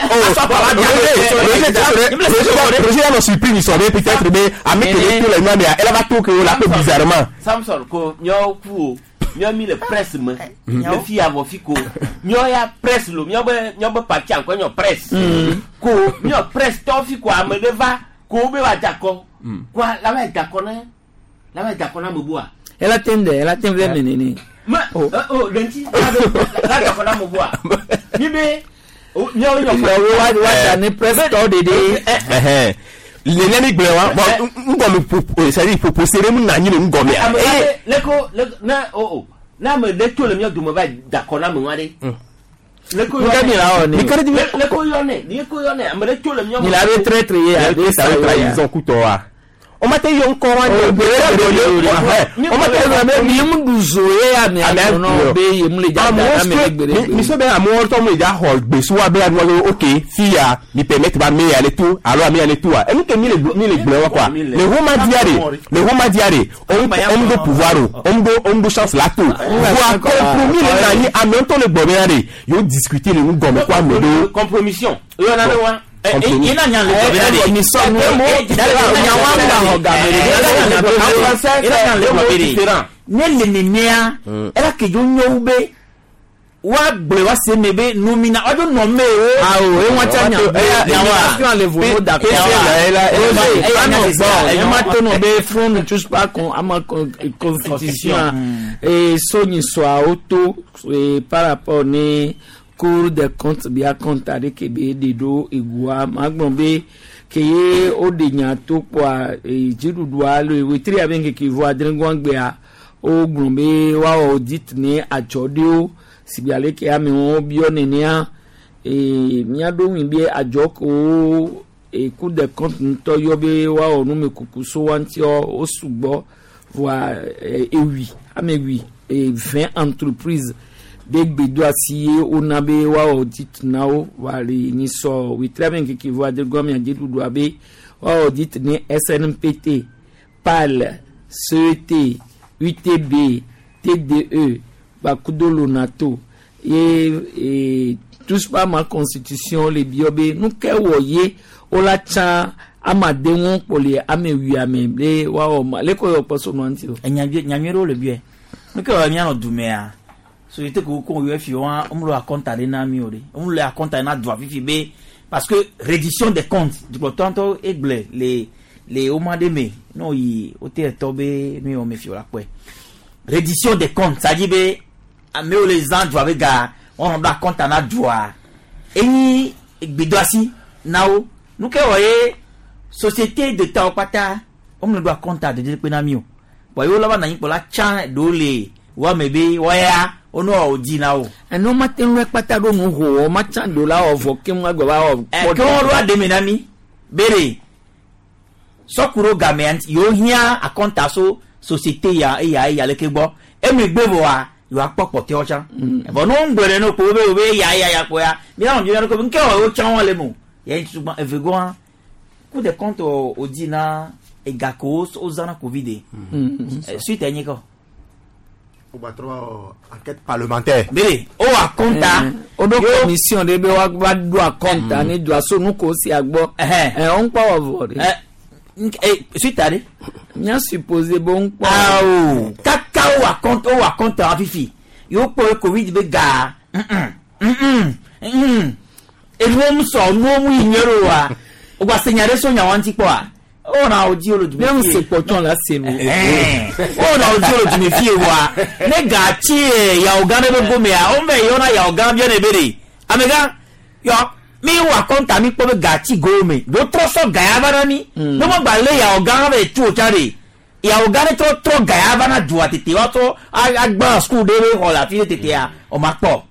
Roger la nɔ surprise ni sɔ be peut-être be ame ke le to le nua mea ela va to ke o la pe bizarrement. Samson ko miawo ku o miawo mi le presse me le fi avɔ fi ko miawo ya presse lo miawo be miawo be parti ankɔ nyɔ presse ko miawo presse tɔ fi ko ame ɖe va ko wo be wa da kɔ ko la va da kɔ ne la va da kɔ na ame bua. Ela te ŋdɛ ela te vɛ mɛ nene. Ma o lɛnti la la kɔnɔ mo bɔ a mi bɛ miawo ɲɔ Wa wa wa ne presse tɔ de de. Le ne mi gblẽ wa bon ŋgɔme ƒo c'est à dire ƒoƒo se ɖe mu na anyi le ŋgɔmea. Ame aɖe leko leko ne o o ne ame ɖe tso le mía dome va da kɔ na ame ŋua ɖe. Leko Nka mi la wɔ ne. Leko yɔ ne leko yɔ ne ame ɖe tso le mía Mi la be traître ye a be sa ye trahison kutɔ wa. O ma te yɔ ŋkɔ wa O gbere gbere o ma te yɔ be mi mu du zo ye ya mi a nɔ be ye mu le dza da na mi le gbere gbere. Mi so be amewo ŋutɔ mu le dza xɔ gbe so wa be anua be ok fi ya mi permettre ba ame ya ne to alo ame ya ne to wa enu ke mi le mi le gblẽ wa quoi le homa dia de le homa dia de on do pouvoir o on do on do chance la to voa compromis le na anyi ame ŋutɔ le gbɔ be ya de yewo discuter le nu gɔme ko ame ɖewo. Compromission yɔ na ne wa. Ina nya le gbɔ be na de. Ne le nenea ela ke dzo nyɔwu be wa gblɔe wa se me be nomina wa dzo nɔ me o. Awo e wọn tsa nya be nomination le vovo d'accord. Eya nɔ gbɔ e ma to nɔ be front ne touche pas con ama constitution e sonyi sɔa o to e par rapport ne cour des comptes bia compte aɖe ke be ɖe ɖo egua ma gblɔ be ke ye o ɖe nya to kpɔa e dziɖuɖua le wetri abe ŋkeke vɔ adregɔa gbea o gblɔ be woawɔ audit ne adzɔ ɖewo sigbe ale ke amewo biɔ nenea ee míaɖo ŋui be adzɔ kewo e cour des comptes ŋutɔ yɔ be woawɔ numekuku so wa ŋutiɔ wo sugbɔ voa ewi ame wi e 20 entreprise be gbedo asi ye wona be woawɔ audit na wo voa le nyisɔ wetri abe ŋkeke vɔ adregɔa mia dziɖuɖua be woawɔ audit ne SNPT, PAL, CET, UTB, TDE gbakudo LONATO ye e touche pas ma constitution le biɔ be nu ke wɔ ye wola tsã amade ŋu kpɔ le ame wuiame be woawɔ ma leke yɔ kpɔ so nua ŋuti o. Nyanyui ɖewo le biɛ nuke wɔ mianɔ dumea société ko ko yɔ fi wa womle akɔnta ɖe na mi o ɖe womle akɔnta na dua fifi be parce que reddition des comptes dukplɔtɔ ŋutɔ egblẽ le le woma ɖe me ne woyi wote etɔ be nu yi wɔme fi o la kpɔe reddition des comptes c'est à dire be amewo le zã dua be ga wɔnɔ ɖo akɔnta na dua enyi gbedoasi na wo nu ke wɔ ye société de tawo kpata womle ɖo akɔnta dede kpe na mi o bɔn yewo la va na anyi kpɔ la tsã ɖewo le woame be wɔya wonɔ wò dzi na wo. Ɛnɛ ma te ŋu kpata ɖo nu ho wɔ ma tsã do la wɔ vɔ ke ŋu agbɔ va wɔ. Ɛ ke wɔn ɖo aɖe me na mi bere sɔku ɖo gamea ŋuti yewo hiã akɔnta so société ya eya eya leke gbɔ emegbe vɔa yewoakpɔ kpɔtɔewo tsã vɔ ne wo ŋgblɔ ɖe ne kpo be wo be eya eya ya kpo ya míanɔ dzɔ ɖe ko nke wɔ yewo tsã wɔn le mo yɛn tutu eve gɔa Cour des comptes o di na ega ko wo zã na covid suite enyi kɔ. Enquête parlementaire. Bele o akɔnta. O ɖo commission ɖe be woava ɖo akɔnta ne doa so nu ko sia gbɔ. Ɛ o ŋkpɔ wɔ vɔ ɖe. Suite aɖe. Mía supposé be o ŋkpɔ. Awo kaka o akɔnta o akɔnta fifi yewo kpɔ covid be ga enuwo mu sɔ nuwo mu yi nyuie ɖo wa o gba se nya ɖe so nya wa ŋuti kpɔa o na o dzi o le dume Ne mu se kpɔtɔn la se nu. O na o dzi o le dume fie wa ne ga tsi yawo gã ɖe be gomea o mɛ yɔna yawo gã biɔ ne be de amegã yɔ mi wɔ akɔnta mi kpɔ be ga tsi go me do trɔ sɔ ga ya va na mi ne mo gba lé yawo gã be tu o tsa de yawo gã ne trɔ trɔ ga ya va na dua tete wa trɔ agbã sukuu ɖe be xɔ le afi ɖe tetea o ma kpɔ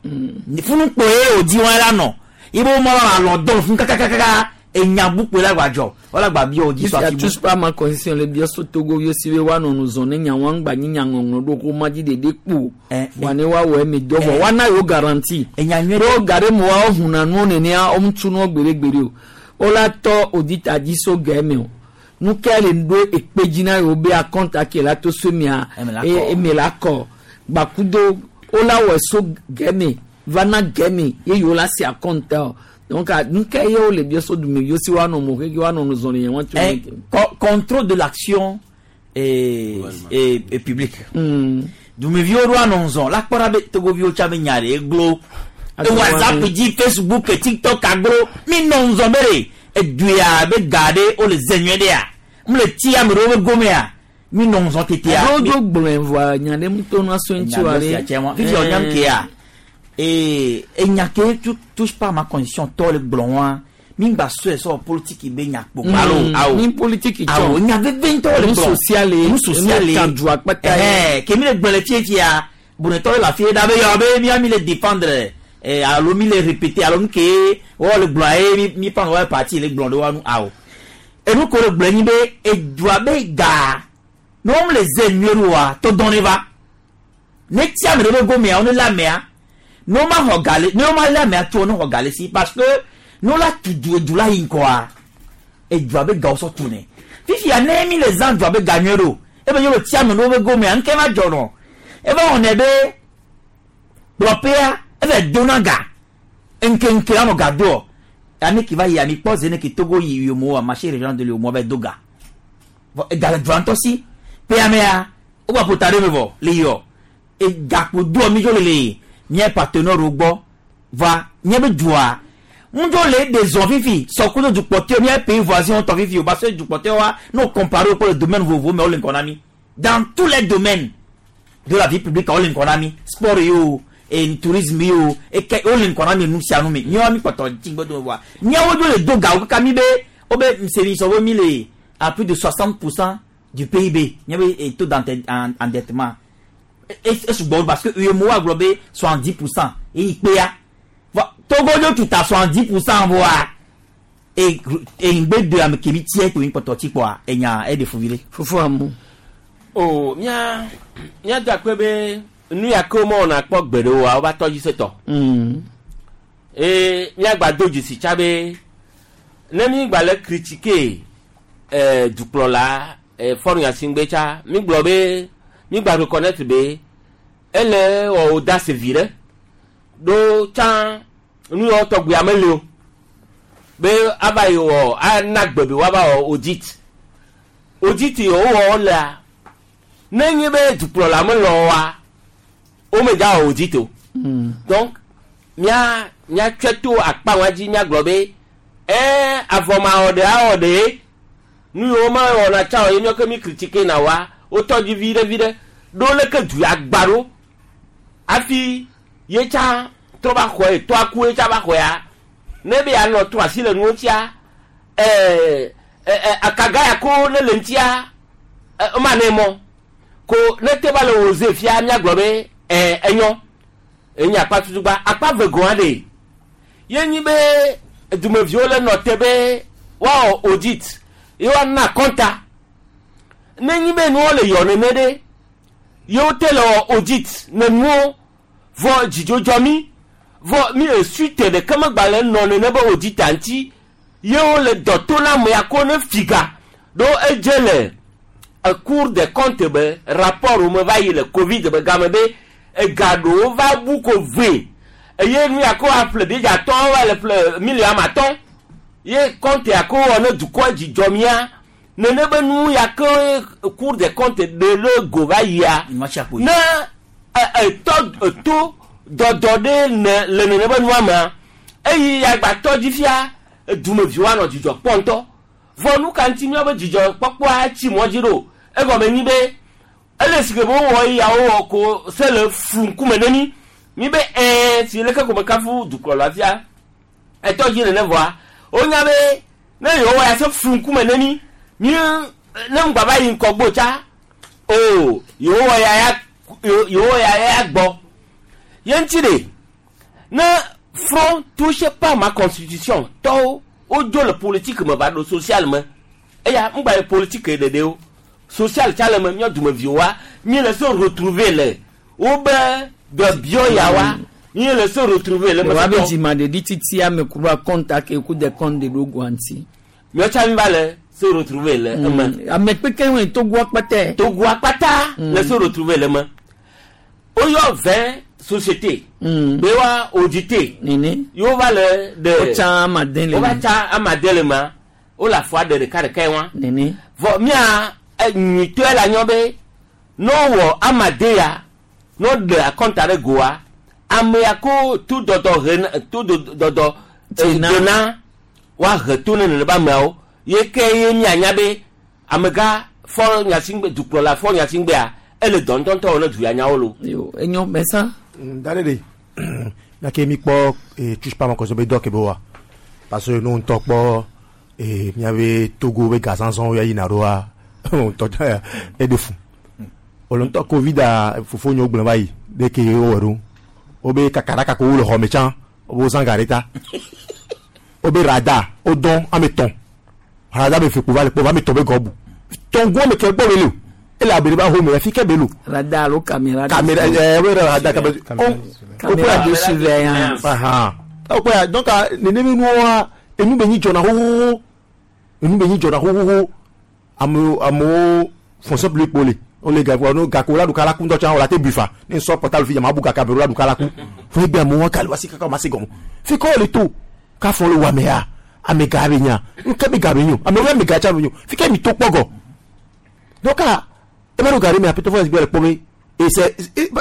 funukpo ye o di wɔn la nɔ ibo mɔ la lɔ dɔn fún kakakaka enya bukpe la gbadzɔ wala gba bi o di so Jusqu'à afi bu. touche pas ma constitution le biɔ so Togo yio si be woanɔ nu zɔn ne nya wa ŋgba nyi nya ŋɔŋlɔ ɖo ko ma dzi ɖeɖe kpo wa ne woawɔ eme dɔ vɔ woana yewo garantie. Ɖo ga ɖe me wa wohuna nuwo nenea wo ŋutu nuwo gbeɖegbeɖe o wola tɔ audit dzi so ga eme o nu ke le ɖo ekpe dzi na yewo be akɔnta ke la to so mia Eme la kɔ. eme la kɔ gbakudo wola wɔ so ga eme va na ga eme ye yewo la si akɔnta o donc nu ke ye wo le biɔ so dume yio si woanɔ mo keke woanɔ nu zɔn le nya wa tso. Contrôle de l'action et publique. Dumeviwo ɖo anɔ zɔn la kpɔ ɖa be togoviwo tsa be nya ɖe eglo. WhatsApp dzi Facebook TikTok aglo mi nɔ ŋzɔn be ɖe eduya be ga ɖe wole ze nyuie ɖea mu le ti ame ɖewo be gomea Mi nɔ ŋzɔ tetea. Alo dzo gblɔe vɔa nya ɖe ŋutɔ nua so ŋuti wa ɖe. Fifi ɔnyam kea. Ee enya ke tu touche pas ma condition tɔ le gblɔ wa. Mi gba sɔe sɔ politique be nya kpo. Alo awo. Ni politique tsɔ. Awo nya veve ŋutɔ le gblɔ. Nu sociale. Nu sociale. Nu kan akpata. Ɛhɛn ke mi le gblɔ le fiefia. Bonetɔ le afi ɖa be yɔ be mia mi le défendre. Alo mi le répéter alo nu ke wɔ le gblɔ ye mi mi pan wɔ parti le gblɔ ɖe wa nu awo. Enu ko le gblɔ nyi be edua be ga. Ne wɔm le ze nyuie ɖo wa tɔ dɔn ne va. Ne tia me ɖe be gomea wo ne la mea. Ne wo ma xɔ ga le ne wo ma la mea tso ne xɔ ga le si parce que ne wo la tu du edu la yi ŋkɔa edua be gawo sɔ tu ne. Fifia ne mi le zã dua be ga nyuie ɖo ebe nye le tia me ɖe be gomea ŋke ma dzɔ nɔ. Eva wɔnɛ be kplɔƒea eve dona ga ŋkeŋke anɔ ga doɔ ame ke va yi ami kpɔ ze ne ke Togo yi yomo marché régional de l'Uemoa va do ga. Vɔ ega le dua ŋutɔ si ƒea mea wogba ƒo ta ɖe me vɔ le yɔ egakpo doɔ mi dzo le le mía partenaire wo gbɔ va mía be dua ŋudzo le ɖe zɔ fifi sɔkudo dukpɔtɔe mía pays voisin tɔ fifi o parce que dukpɔtɔe wa n'o compare kple domaine vovovo me wo le ŋgɔ na mi dans tous les domaines de la vie publique wo le ŋgɔ na mi sport yi o et tourisme yi o eke wo le ŋgɔ na mi nu sia nu me míawo mi kpɔtɔ dzigbe do wa míawo dzo le do gawo kaka mi be wo be semi sɔ be mi le à plus de 60% du PIB míabe taux d'endettement esugbɔ parce que UEMOA gblɔ be 70% eyi kpea Togo dzo tuta 70% voa e ŋgbe do ame kemi tiɛ kpo kpɔtɔ tsi kpɔa enya eɖe fuvi ɖe. Fufu amu. O mía mía da kpe be nu ya ke womewɔna kpɔ gbe ɖe oa wova tɔ dzi setɔ. Eye míagba do dzesi tsa be ne mi gba le critiquer dukplɔla Faure Gnassingbé tsa mi gblɔ be mi gba reconnaître be ele wɔ audace vi ɖe ɖo tsã nu yawo tɔgbi ame li o be ava yi wɔ ana gbe be woava wɔ audit audit yi wowɔ lea ne nye be dukplɔla melɔ wa womedza wɔ audit o. Donc mía míatsɔe to akpa wa dzi míagblɔ be avɔmawɔ ɖe awɔ ɖe nu yiwo mewɔna tsa o ye míawo ke mi critique na wa wotɔ dzi vi ɖe vi ɖe ɖo leke du ya gba ɖo hafi ye tsa trɔ va xɔe tɔ aku ye tsa va xɔea ne be yanɔ trɔ asi le nuwo ŋutia akaga ya ko ne le ŋutia ema ne mɔ ko ne te va le wò ze fia míagblɔ be enyɔ enye akpa tutugba akpa ve gɔ̃ aɖe ye nyi be dumeviwo le nɔ te be woawɔ audit ye woana kɔnta ne nyi be nuwo le yɔ nene ɖe yewo te le wɔ audit ne nuwo vɔ dzidzɔdzɔ mi vɔ mi esu te ɖeke megba le nɔ nene be audit ŋuti yewo le dɔ to na ame ya ko ne figa ɖo edze le Cour des comptes be rapport wo me va yi le Covid be game be ega ɖewo va bu ko ve eye nu ya ko aƒle biedzatɔ va le ƒle miliɔn ame atɔ̃ ye compte ya ko wɔ ne dukɔ dzidzɔ mía nene be nu ya ke Cour des comptes ɖe le go va yia ne etɔ to dɔdɔ ɖe ne le nene be nua mea eyi agbatɔ dzi fia dumeviwo anɔ dzidzɔ kpɔ ŋutɔ vɔ nu ka ŋuti míawo be dzidzɔ kpɔkpɔa tsi mɔ dzi ɖo egɔme nyi be ele si ke be wowɔ eya wowɔ ko se le flu ŋkume ne mi mi be si leke ko me kafu dukplɔla fia etɔ dzi nene vɔa wonya be ne yewo wɔ ya se flu ŋkume ne mi mi ne ŋgba va yi ŋkɔgbo tsa o yewo wɔ ya ya yewo ya ya gbɔ ye ŋuti ɖe ne front touche pas ma constitution tɔwo wodzo le politique me va ɖo social me eya ŋgba yi politique ɖeɖe o social tsa le me míɔ dumeviwoa mi le se retrouver le wobe dɔbiɔ ya wa mi le se retrouver le me. Wa be dzimaɖeɖi titi ame ku ba kɔnta ke ku de kɔn de ɖo guanti. Míɔ tsa mi va le se retrouver le eme. Ame kpekpe ŋue Togo akpata. Togo akpata le se retrouver le me. Woyɔ 20 société. Be wa auditer. Nene. Yewo va le de. Wotsa amade le me. Wova tsa amade le mea. Wole afɔa ɖe ɖeka ɖeka wa. Nene. Vɔ mía nyuitɔe le anyɔ be ne wowɔ amade ya ne woɖe akɔnta ɖe goa ame ya ko to dɔdɔ he to dɔdɔ dena woahe to ne nene be ameawo ye ke ye mianya be amegã Faure Gnassingbé dukplɔla Faure Gnassingbéa ele dɔ ŋutɔŋutɔ wɔ ne du ya nyawo lo. Yo enyo mɛsa. Da ɖe ɖe miake mi kpɔ touche pas ma constitution be dɔ ke be wa parce que nu ŋutɔ kpɔ miabe Togo be gazazãwo ya yina ɖoa ŋutɔ tsa eɖe fu. Wòle ŋutɔ Covid a fofo nyewo gblẽ va yi ɖe ke wowɔ ɖo. Wobe kaka ɖaka ko wo le xɔ me tsã wobe wozã ga ɖe ta. Wobe radar wodɔn ame tɔn. Radar be fe kpo va le kpɔ va ame tɔn be gɔ bu. Tɔngo ame ke gbɔ be le o. Ele abe ɖe ba home afi ke be lo. Radar alo caméra. Caméra wobe radar caméra. Caméra de surveillance. Ahan. Wokpɔe donc nene be nuwoa enu be nyi dzɔna xoxoxo. Enu be nyi dzɔna xoxoxo. Amewo amewo fonction publique kpo le. Wole gakpo no gakpo la ɖuka la ku ŋutɔ tsã wòle ate bui fa. Ne nsɔ portable fi dza ma bu gaka be la ɖuka la ku. Fo egbe amewo ka le wasi kaka ma se gɔme. Fi ke wole to kafɔ le wɔmea ame ga be nya. Nke be ga be nyo. Amewo ame ga tsã be nyo. Fi ke mi to kpɔ gɔ. Donc ebe ɖo ga ɖe me apetɔ fɔ le kpɔ be ese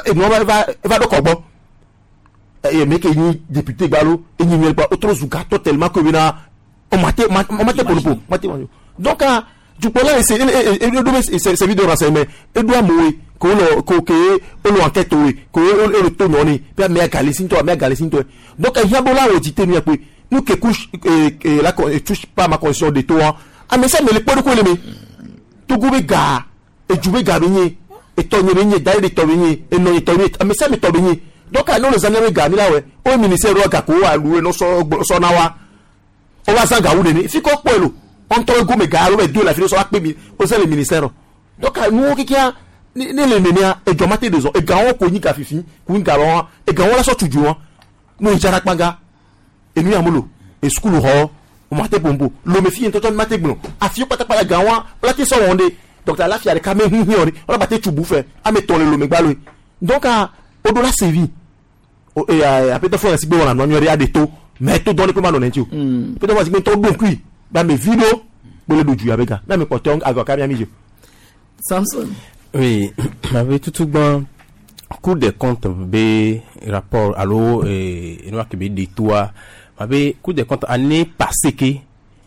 enua va va eva ɖo kɔ gbɔ. Eye me ke nyi député gbalo enyi mi kpɔ wotro zu gatɔ tellement que bena ɔmate ɔmate kpɔnupo ɔmate kpɔnupo. Donc dukplɔla ese e e eɖo be service de renseignement eɖo amewoe ke wonɔ ko ke wonɔ enquête woe ke wo to nyɔ ne be amea gali si ŋutɔ amea gali si ŋutɔ. Donc ehiã be wola wɔ dite nu ya kpoe nu ke couche la touche pas ma constitution de to ame sia ame le kpɔ ɖokui le me. Togo be ga edu be ga be nye etɔ nye be nye da ɖe tɔ be nye enɔ nye tɔ nye ame sia ame tɔ be nye. Donc ne wole zã míaƒe ga mi la wɔe wo ministère ɖo gako wo alu eno sɔ na wa wo va zã gawu nene fi kɔ kpɔe lo ŋutɔ gome ga alo be do le afi ɖe sɔ va kpe mi wo zã le ministère. Donc nuwo kekeа ne le nenea edzɔ ma te de zɔ egawo ko nyi ga fifi ko nyi ga lɔ egawo la sɔ tu dzo wa no yi dzara kpanga enu ya molo esukulu xɔ o ma te pompo lome fi ŋutɔ ma te gblɔ afi kpatakpata gawoa wala te sɔ wɔn de donc alafia ɖeka me hihi wɔ de wala ba te tsu bu fɛ ame tɔn le lome gbaloe donc o do la sevi o e apetɔ fɔ yasi gbe wɔna nua nyuie ɖe aɖe to mais to dɔn de ko ma nɔ nɛ ŋuti o apetɔ fɔ yasi gbe ŋutɔ ɖo ŋkui be ame vi ɖo kpole ɖo dzu abe ga ne ame kpɔtɔ agɔ ka mia mi dzo. Samson. Oui, avec tout bon Cour des comptes be rapport alo eno ke be de toi abe Cour des comptes année passée ke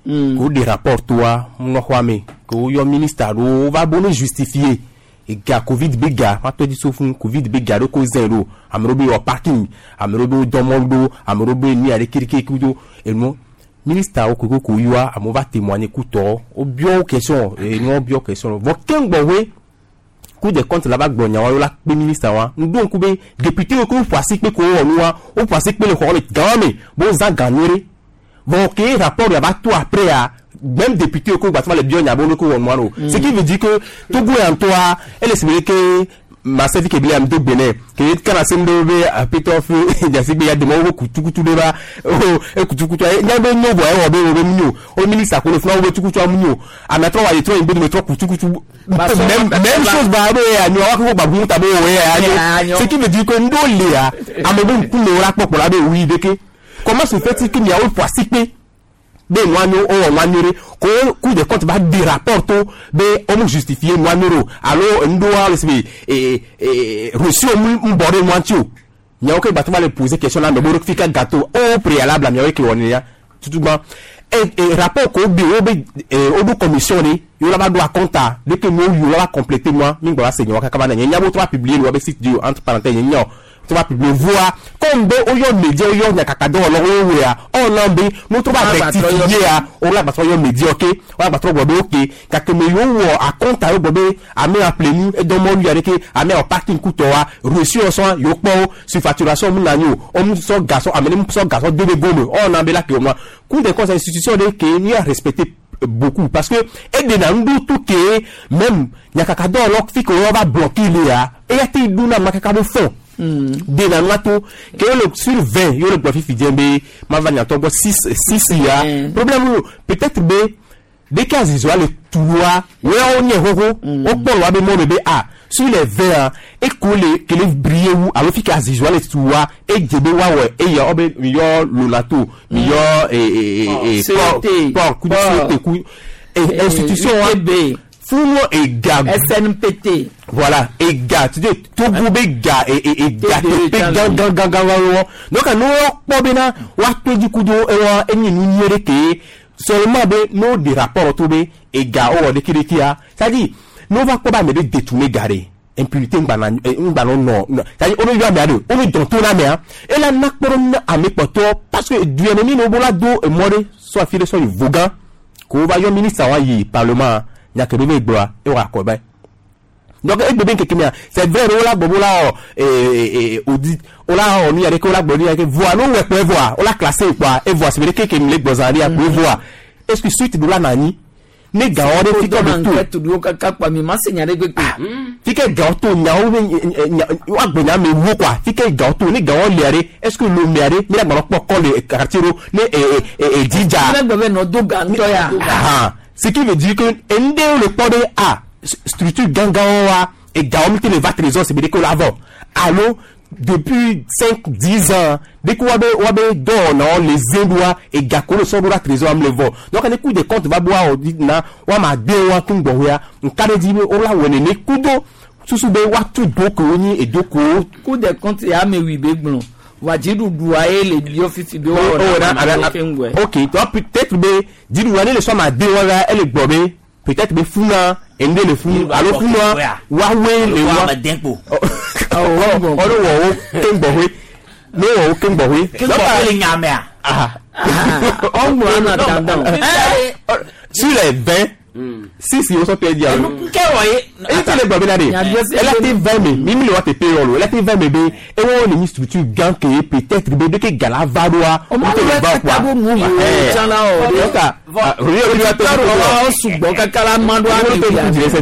ko des rapports toi mo xɔ ko yo ministre alo va bon justifier e ga Covid be ga ma to di so fún Covid be ga do ko zen do amero be o parking amero be domo do amero be ni ale kirike ku do eno ministre o ko ko yoa amo va témoigner ku to o bio question e no bio question vo kengbo we Cour des comptes là-bas gblɔ nyawo la kpe ministre wa ŋdo ŋku be député wo ko ƒo asi kpe ko wɔ nua wo ƒo asi kpe le xɔ le gã me bo zã gã nyuie bon ke rapport ya va to après a même député wo ko gba le bio nya bo ko wɔ nua no. Ce qui veut dire que Togo ya ŋutɔa ele si be ke ma se fi ke bile am do gbene ke kana se ndo be apetɔ fe jasi be ya demo wo kutukutu de ba o e kutukutu e nya be nyo bo e wo be wo be nyo o ministre ko le funa wo be tukutu am nyo ame trɔ wa ye trɔ yin be me trɔ kutukutu même même chose ba be ya nyo wa ko ba bu ta be wo ya nyo. Ce qui veut dire que ndo le ya ame be ŋku le wo la kpɔkpɔ la be wi de ke comment se fait-il que miawo ƒo asi kpe be nua nyo o wɔ nua nyuie ko Cour des comptes va di rapport to be o mu justifier nua nyuie o alo ŋdoa le si be ee reçu o mu bɔ ɖe nua ŋuti o miawo ke gbàtɔ va le poser question la me bo fi ka gâteau au préalable miawo ke wɔ nenia tutugba e rapport ko be wo be o do commission de yo la va do acompte de ke mo yo la va compléter moi mi gbɔ va se nyawo kaka va na nye nya bo to va publier le wa be site di entre parenthèses nye nya tu vas publier voir comme be oyo média oyo nyakaka do lo wo ya on be no to va rectifier ya o la ba yo média OK o la ba tro gbo OK kake me yo wo acompte yo gbo be ame appelé nu e do mo lu ya ke ame o parking kuto wa reçu o so yo po surfacturation mu na yo o mu so garçon ame mu so garçon de be go me on be la ke mo Cour des comptes institution de ke ni a respecter beaucoup parce que et de na ndu tout ke même nyakaka do lo fi ko va bloquer le ya e ya te du na makaka bo fond de na nwato ke le sur 20 yo le gbofi fi djembe ma va nyato bo 6 6 ya problème peut-être be des cas isola le toua ouais on y hoho o polo wa be mo be a sur les 20 et ko le que le briller ou alors fi cas isola le toua et djebe wa ouais et ya obe mi yo lolato mi yo et port coup de coup et institution Fumo et ga SNPT. Voilà, et ga, tu dis Togo be ga et ga te gan gan gan gan gan. Donc nous on bena wa to du coup do e wa enyi nu nyere ke seulement be no des rapports to be et ga o de kiriki a. C'est-à-dire Ne wova kpɔ be ame ɖe détourné ga ɖe impunité ŋgbana ŋgbanɔ nɔ c'est-à-dire wo yɔ amea ɖe wo nu dɔn to na amea ela na kpɔ ɖe na ame kpɔtɔ parce que du yɛ mi ne wo la do emɔ ɖe sɔ afi ɖe sɔ yi vogan ko wova yɔ ministre wa yi parlement nya ke ɖe be gblɔa ewɔ akɔ ba. Donc egbe be ŋkeke mea, c'est vrai ɖe wola gbɔ be wola wɔ audit, wola wɔ nu ya ɖeke, wola gblɔ nu ya ɖeke voa ne wowɔe kpɔ evoa wola classé kpoa evoa si be ɖeke ke mi le gbɔ zã ɖia kpo evoa est-ce que suite ɖo la nɔ anyi ne gawo ɖe fi ke be to enquête ɖewo kaka kpa mi ma se nya ɖe gbegbe. Fi ke gawo to nyawo be nya woagblɔ nya me wo quoi, fi ke gawo to ne gawo lia ɖe, est-ce que lomea ɖe mi la gbanɔ kpɔ kɔ le quartier ɖo ne edzi dza. Mi la gblɔ be nɔ do ga ŋutɔ ya. Ah, ce qui veut dire que enu ɖewo le kpɔ ɖe a structure gãgãwo wa egawo mi te le va trésor si be ɖeke wo la vɔ alo depuis 5, 10 ans dès que wabe dɔwɔnawo le ze ɖoa ega ko le sɔ ɖo ɖa trésor am le vɔ. Donc ne Cour des comptes va boa audit na woama de wa kun gbɔxɔea nka ɖe dzi be wola wɔ nene kudo susu be woatu do kewo nyi edo kewo. Cour des comptes ya ame wi be gblɔ wa dziɖuɖua ye le biɔ fifi be Oh, woawɔ na- na na- ame ke ŋgɔe. Ok, donc peut-être be dziɖuɖua ne le sɔ ma de wa la ele gbɔ be peut-être be funa enu ɖe le funu alo funua woawoe le wa ɔɖo wɔ wo keŋ gbɔxɔe ne wɔ wo keŋ gbɔxɔe. Keŋ gbɔxɔe le nya mea? Ɔŋgbɔ ana dandan. Sur les 20, 6 yi wosɔ tɛ di alo. Nke wɔ ye. Eyi ti le gbɔ bena de ela te vɛ me mi mi le wa te pe yɔ lo ela te vɛ me be ewɔ le nyi structure gã ke ye peut-être be de ke gala va ɖoa Ɔmɔ o te le lɛ va kaka bo nu yi tsã la o. Donc ah, oui, oui, oui, Ɔ sugbɔ kaka la ma ɖo ame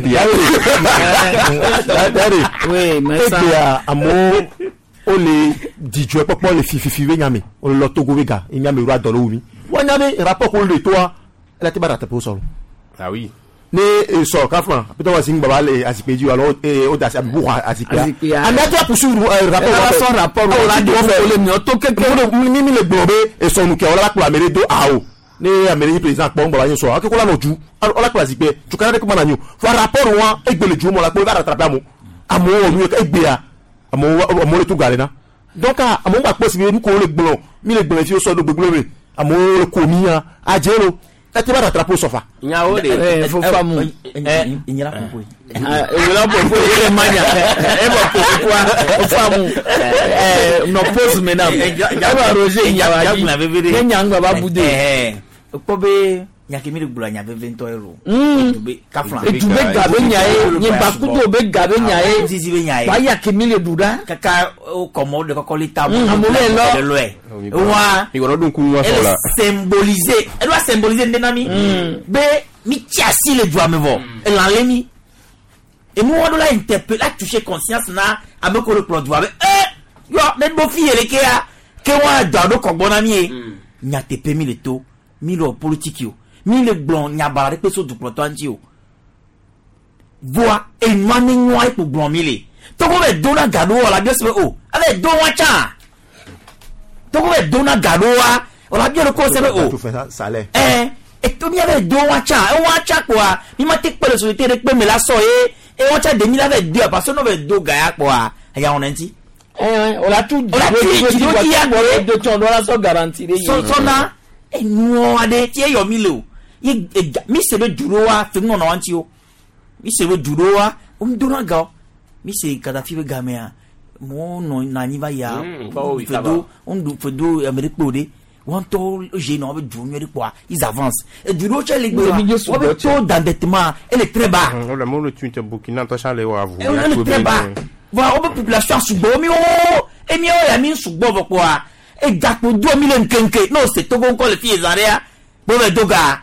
wia. Oui, mais ça. Egbea amewo wole dzidzɔe kpɔkpɔ le fififi be nyame wole lɔ Togo be ga ye nyame ɖo adɔ le wo mi woanya be rapport ko le toa ela te ba rattraper wo sɔ lo. Ah oui. Ne sɔ kafra peut-être wa si ŋgbaba le azikpe dzi alo o da asi abubu xɔ azikpea Azikpea. ame ate poursuivre rapport. Ela sɔ rapport wo la la de wo le miɔ to keke. Mi mi le gblɔ be esɔ nu ke wala kplɔ ame ɖe do awo ne ame ɖe nyi président kpɔ ŋgbaba nye sɔ ake ko la nɔ ju wala kplɔ azikpe tukara ɖe ko ma na nyi o fɔ rapport wa egbe le ju mɔ la kpɔ eva rattraper amewo amewo wɔ nu ye egbea amewo amewo le tu ga le na donc ah, amewo gba kpɔ si be nu ko le gblɔ mi le gblɔ fi wo sɔ ɖo gbegblɔ me amewo le ko mi ya adze lo ete va rattraper wo sɔfa. Nyawo de. Fofa mu. Ìnyɛra koko ye. Ewura popo ye le manya. E bɔ popo kwa fofa mu. Nɔ pause maintenant. E bɔ Roger nyawa dzi. Ne nya ŋgbɔ ba bu de. Kpɔ be nyake mi le gblɔ nya veve ŋutɔ ye lo. Edube kafla. Edube ga be nya ye, nyibakudo be ga be nya ye. Zizi be nya ye. Wa ya ke mi le ɖu ɖa. Kaka o kɔmɔ de kɔkɔ le ta. Amewo le lɔ. Lɔɛ. Wa. Ìwọ ló dún kú wọn sọ Ele la. symboliser ele wa symboliser ndena mi be mi tsi asi le dua me vɔ elan le mi enu wa do la interpeller la toucher conscience na ame ko le kplɔ dua be yɔ ne ɖo fi yɛ le kea ke wa dɔ ɖo kɔgbɔ na mi ye nyateƒe mi le to mi le wɔ politiki o mi le gblɔ nyabara ɖe kpe so dukplɔtɔa ŋuti o voa enua ne nyɔa ekpo gblɔ mi le togo be do na ga ɖo wɔ la biɔ se be o ale do wa tsã togo be do na ga ɖo wa wɔ la biɔ ɖe ko se be o salaire. Eto mi ave do wa tsã ewa tsã kpoa mi ma te kpe le société ɖe kpe me la sɔ ye ewa tsã de mi la ve do parce que n'o ve do ga ya kpoa eya wɔna ŋuti. O la tu O la tu dzi ɖo dzi ya gbɔ do tsɔn do la sɔ garantie ɖe ye. Sɔsɔna enuɔ aɖe tí eyɔ mi le o ye ega mi se be du ɖo wa fe ŋɔnɔ wa ŋuti o mi se be du ɖo wa wo mi dona ga o mi se Kadafi be gamea mɔwo nɔ na anyi va yia kɔ wo yi kaba. fedo wo fedo ame ɖe kpe o ɖe wɔn ŋutɔ wo na wo be du nyuie ɖe kpoa ils avancent edu ɖewo tsɛ le gbe wa wo be taux d'endettement ele très bas. Le mot le tun tɛ Burkina tɔ sa le wa vu. Ele très bas voilà wo be population sugbɔ mi wo emi wo ya mi sugbɔ vɔ kpoa egakpo do mi le nkenke n'o se Togo ŋkɔ le fi ye zã ɖea bo be do ga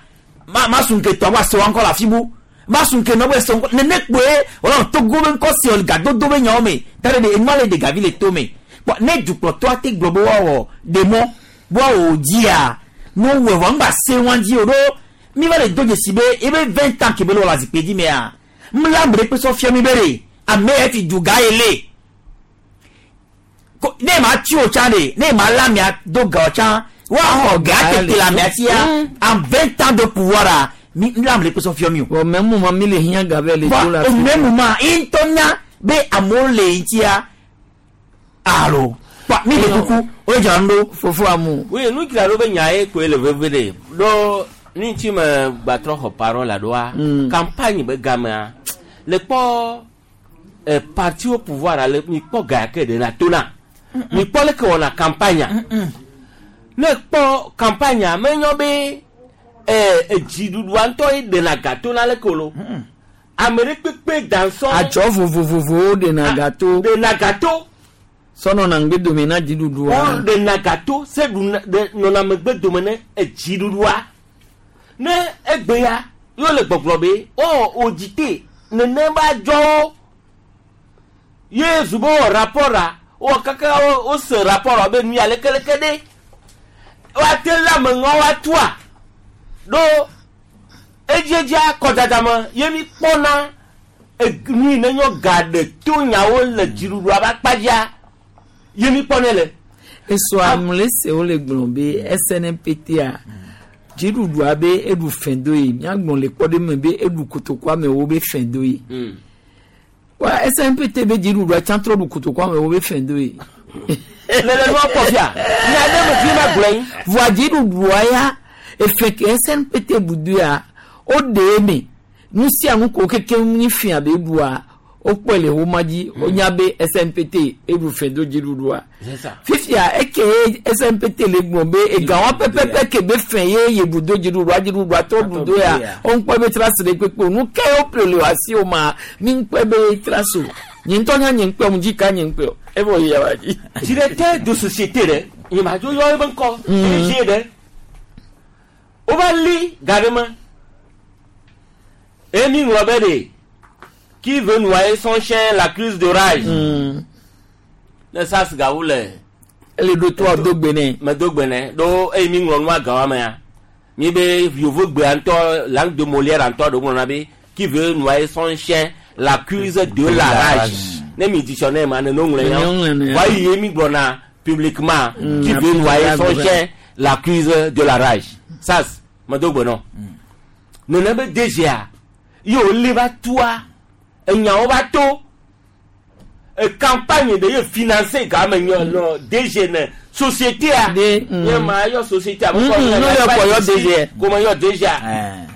ma ma sun ke tɔ wa se wa ŋkɔ le afi bu ma sun ke nɔ be se ŋkɔ nene kpoe wòle Togo be ŋkɔ se o gadodo be nyawo me ta ɖe de enua le de gavi le to me kpɔ ne dukplɔtɔa te gblɔ be woawɔ demɔ be woawɔ dzia ne wowɔe vɔ ŋgba se wa dzi o ɖo mi va le do dzesi be ebe 20 ans ke be le wɔ le azikpui dzi mea mla ame ɖe kpe sɔ fia mi be ɖe ame yɛ fi du ga ye le ko ne ma tsi o tsã de ne ma la mia do ga o tsã woaxɔ ga tete le amea sia en 20 ans de pouvoir a mi mla ame ɖe kpe sɔ fia mi o. Bon, même moment mi le hiã ga be le do la. Au même moment ye ŋutɔ nya be amewo le ŋutia alo kpa mi le kuku o dzra nu ɖo. Fofo amu. Oui, nu dzra ɖo be nya ye koe le veve ɖe ɖo nu ŋuti me gbatrɔ xɔ parole la ɖoa campagne be gamea Le kpɔ eh, parti au pouvoir ale mi kpɔ ga ke de na tona. Mi kpɔ leke wɔna campagne. Ne kpɔ campagne menyɔ be eh, dziɖuɖua ŋutɔ ye ɖena ga tona leke o lo. Ame ɖe kpekpe dansɔ. Adzɔ vovovovowo ɖena gato. Ɖena gato. Sɔnɔ na ŋgbe dome na dziɖuɖua. Wo ɖena gato se ɖuna ɖe nɔna megbe dome ne edziɖuɖua. Ne egbe ya yeo le gbɔgblɔ be o audité nene ba dzɔwo ye zu be wɔ rapport a wɔ kaka wo wose rapport a be nu ya lekeleke ɖe woate lé ame ŋɔ woatua ɖo edziedzia kɔdada me ye mi kpɔna nu yi ne nyɔ ga ɖe to nyawo le dziɖuɖua ƒe akpa dzia ye mi kpɔnɛ le. Esɔ amle se wole gblɔ be SNPT a dziɖuɖua be eɖu fɛn do yi míagblɔ le kpɔ ɖe me be eɖu kotoku amewo be fɛn do yi. Wa SNPT be dziɖuɖua tsã trɔ ɖu kotoku amewo be fɛn do yi. Lele nua kpɔ fia nya ɖe me fi ma gblɔ yi. Voa dziɖuɖua ya efe ke SNPT bu do ya woɖe eme nu sia nu ko keke nyi fia be ɖua wokpɔe le woma dzi wonya be SNPT eɖu fɛn do dziɖuɖua. C'est ça. Fifia eke SNPT le gblɔ be egawa pɛpɛpɛ ke be fɛn ye yebu do dziɖuɖua dziɖuɖua tɔ ɖu do ya woŋkpɔ be trasi ɖe kpekpe o nu ke wo ƒle le asi o ma mi ŋkpɔe be trasi o nye ŋutɔ nya nye ŋkpɔe mu dzi ka nye ŋkpɔe o evɔ yi yawa dzi. Directeur de société ɖe nye ma dzo yɔ ebe ŋkɔ DG ɖe wova li ga ɖe me eye mi ŋlɔ be ɖe qui veut noyer son chien l'accuse de rage. Ne sas gawu le. Ele ɖo to do gbe nɛ. Me do gbe nɛ ɖo eye mi ŋlɔ nua gawa mea mi be yovo gbea ŋutɔ langue de Molière ŋutɔ ɖo ŋlɔna be qui veut noyer son chien l'accuse de la rage. Ne mi dictionnaire ma ne no ŋlɔ Ne ŋlɔ ya wa yi mi gblɔna publiquement qui veut noyer son chien l'accuse de la rage. Sas me do gbe nɔ. Nene be DGA ye wòle va tua enyawo va to e campagne de ye financer game nyɔ nɔ DG ne société a nye ma yɔ société a No yɔ kpɔ yɔ DG. ko me yɔ DG a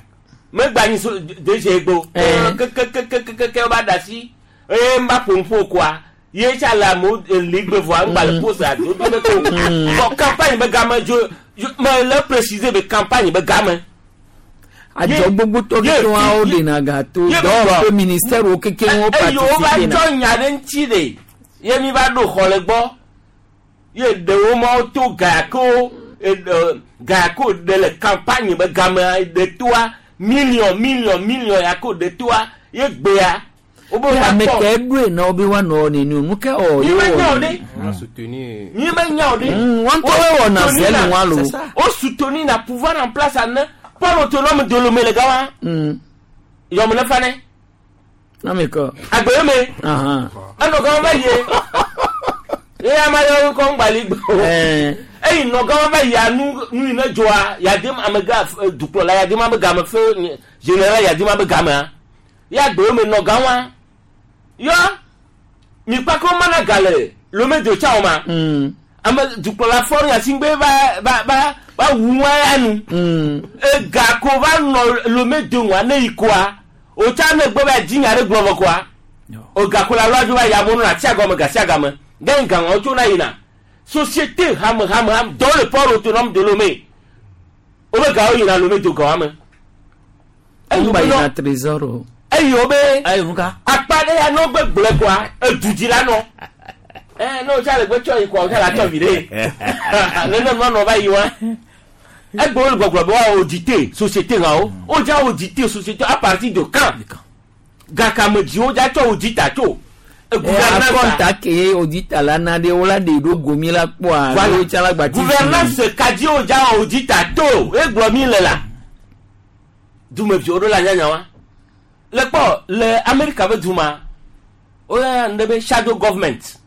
megba nyi so DG gbo kekekekekeke va da asi eye n ba ƒo ƒo koa ye tsa le amewo li gbe vɔa ŋgba le pose ado do ne ko bɔn campagne be game dzo me le préciser be campagne be game. Adzɔ gbogbo tɔ keke wa wo ɖena gato dɔwɔƒe ministère wo keke wo eye wo va participer na. tsɔ nya ɖe ŋuti ɖe ye mi va ɖo xɔ le gbɔ ye ɖewo ma to gayako gayako ɖe le campagne be gamea ɖe toa million million million yako ɖe toa ye gbea wobe va Ame kpɔ ke ɖoe na wo be woanɔ neni o nu ke wɔ mi ye me nya o wɔ. ɖe mi me nya o ɖe Wɔn ŋutɔ woe wɔna Wo zɛli soutenir wa lo. wo soutenir na pouvoir en place ane port autonome de Lomé le gawa yɔmu ne fa ne Ame kɔ. agbeye me enɔ gama va yie ye ame aɖewo kɔ ŋgbali gbɔ eyi nɔ gama va yia nu nu yi ne dzɔa yadem amega dukplɔla yadem abe game fe général yadem abe gamea ye agbeye me nɔ gama yɔ mikpako mana ga le Lomé do tsa o ma ame dukplɔla fɔri asigbe va va va va wu wa ya nu ega ko va nɔ Lomé do ŋua ne yi koa o tsa ne gbɔ va dzi nya ɖe gblɔ vɔ koa o gako la lɔ adzo va ya mɔnu atia gɔme gasia game gɛn gaŋɔ tso na yina société hame hame hame dɔw le port autonome de Lomé o be gawo yina Lomé do gawa me Ŋgba yina trésor o. eyi wo be akpa ɖe ya ne wo gbe gblɔe koa edu dzi la nɔ ɛ ne o tsa le gbe tsɔ yi koa o tsa la tsɔ vi ɖe nene nua nɔ va yi wa egbe wo le gbɔgblɔ be wa auditer société hã wo wo dza auditer société à partir de quand gakame dzi wo dza tsɔ auditer tso gouvernance Akɔnta ke auditer la na ɖe wo la ɖe ɖo gomi la kpɔa. Voilà. Wo tsa la gba ti. gouvernance kadzi wo dza auditer to egblɔ mi le la dumeviwo ɖo la nyanya wa le kpɔ le Amerika be duma woyana nu ɖe be shadow government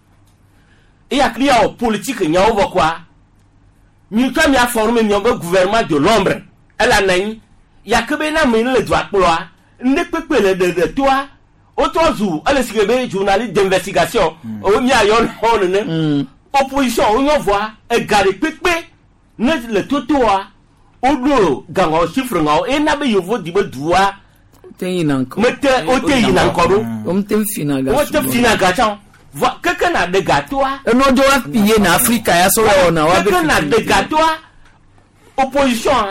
eya kli ya wɔ politique nyawo vɔ koa mi tsɔ mia forme miawo be gouvernement de l'ombre ele anɔ anyi yake be na ame yi ne le dua kplɔa ŋɖe kpekpe le ɖeɖe toa wotrɔ zu ele si ke be journaliste d'investigation wo miayɔ nɔ nene opposition wonyɔ vɔa ega ɖe kpekpe ne le totoa woɖo gaŋɔ chiffre ŋawo ena be yevo di be dua Mete wote yina ŋkɔ ɖo. Womete fina ga. Wote fina ga tsã. Vɔ keke na ɖe gatoa. Enɔ dzo wa pillé na Afrika ya sɔ wɔ na wa be. Keke na ɖe gatoa opposition.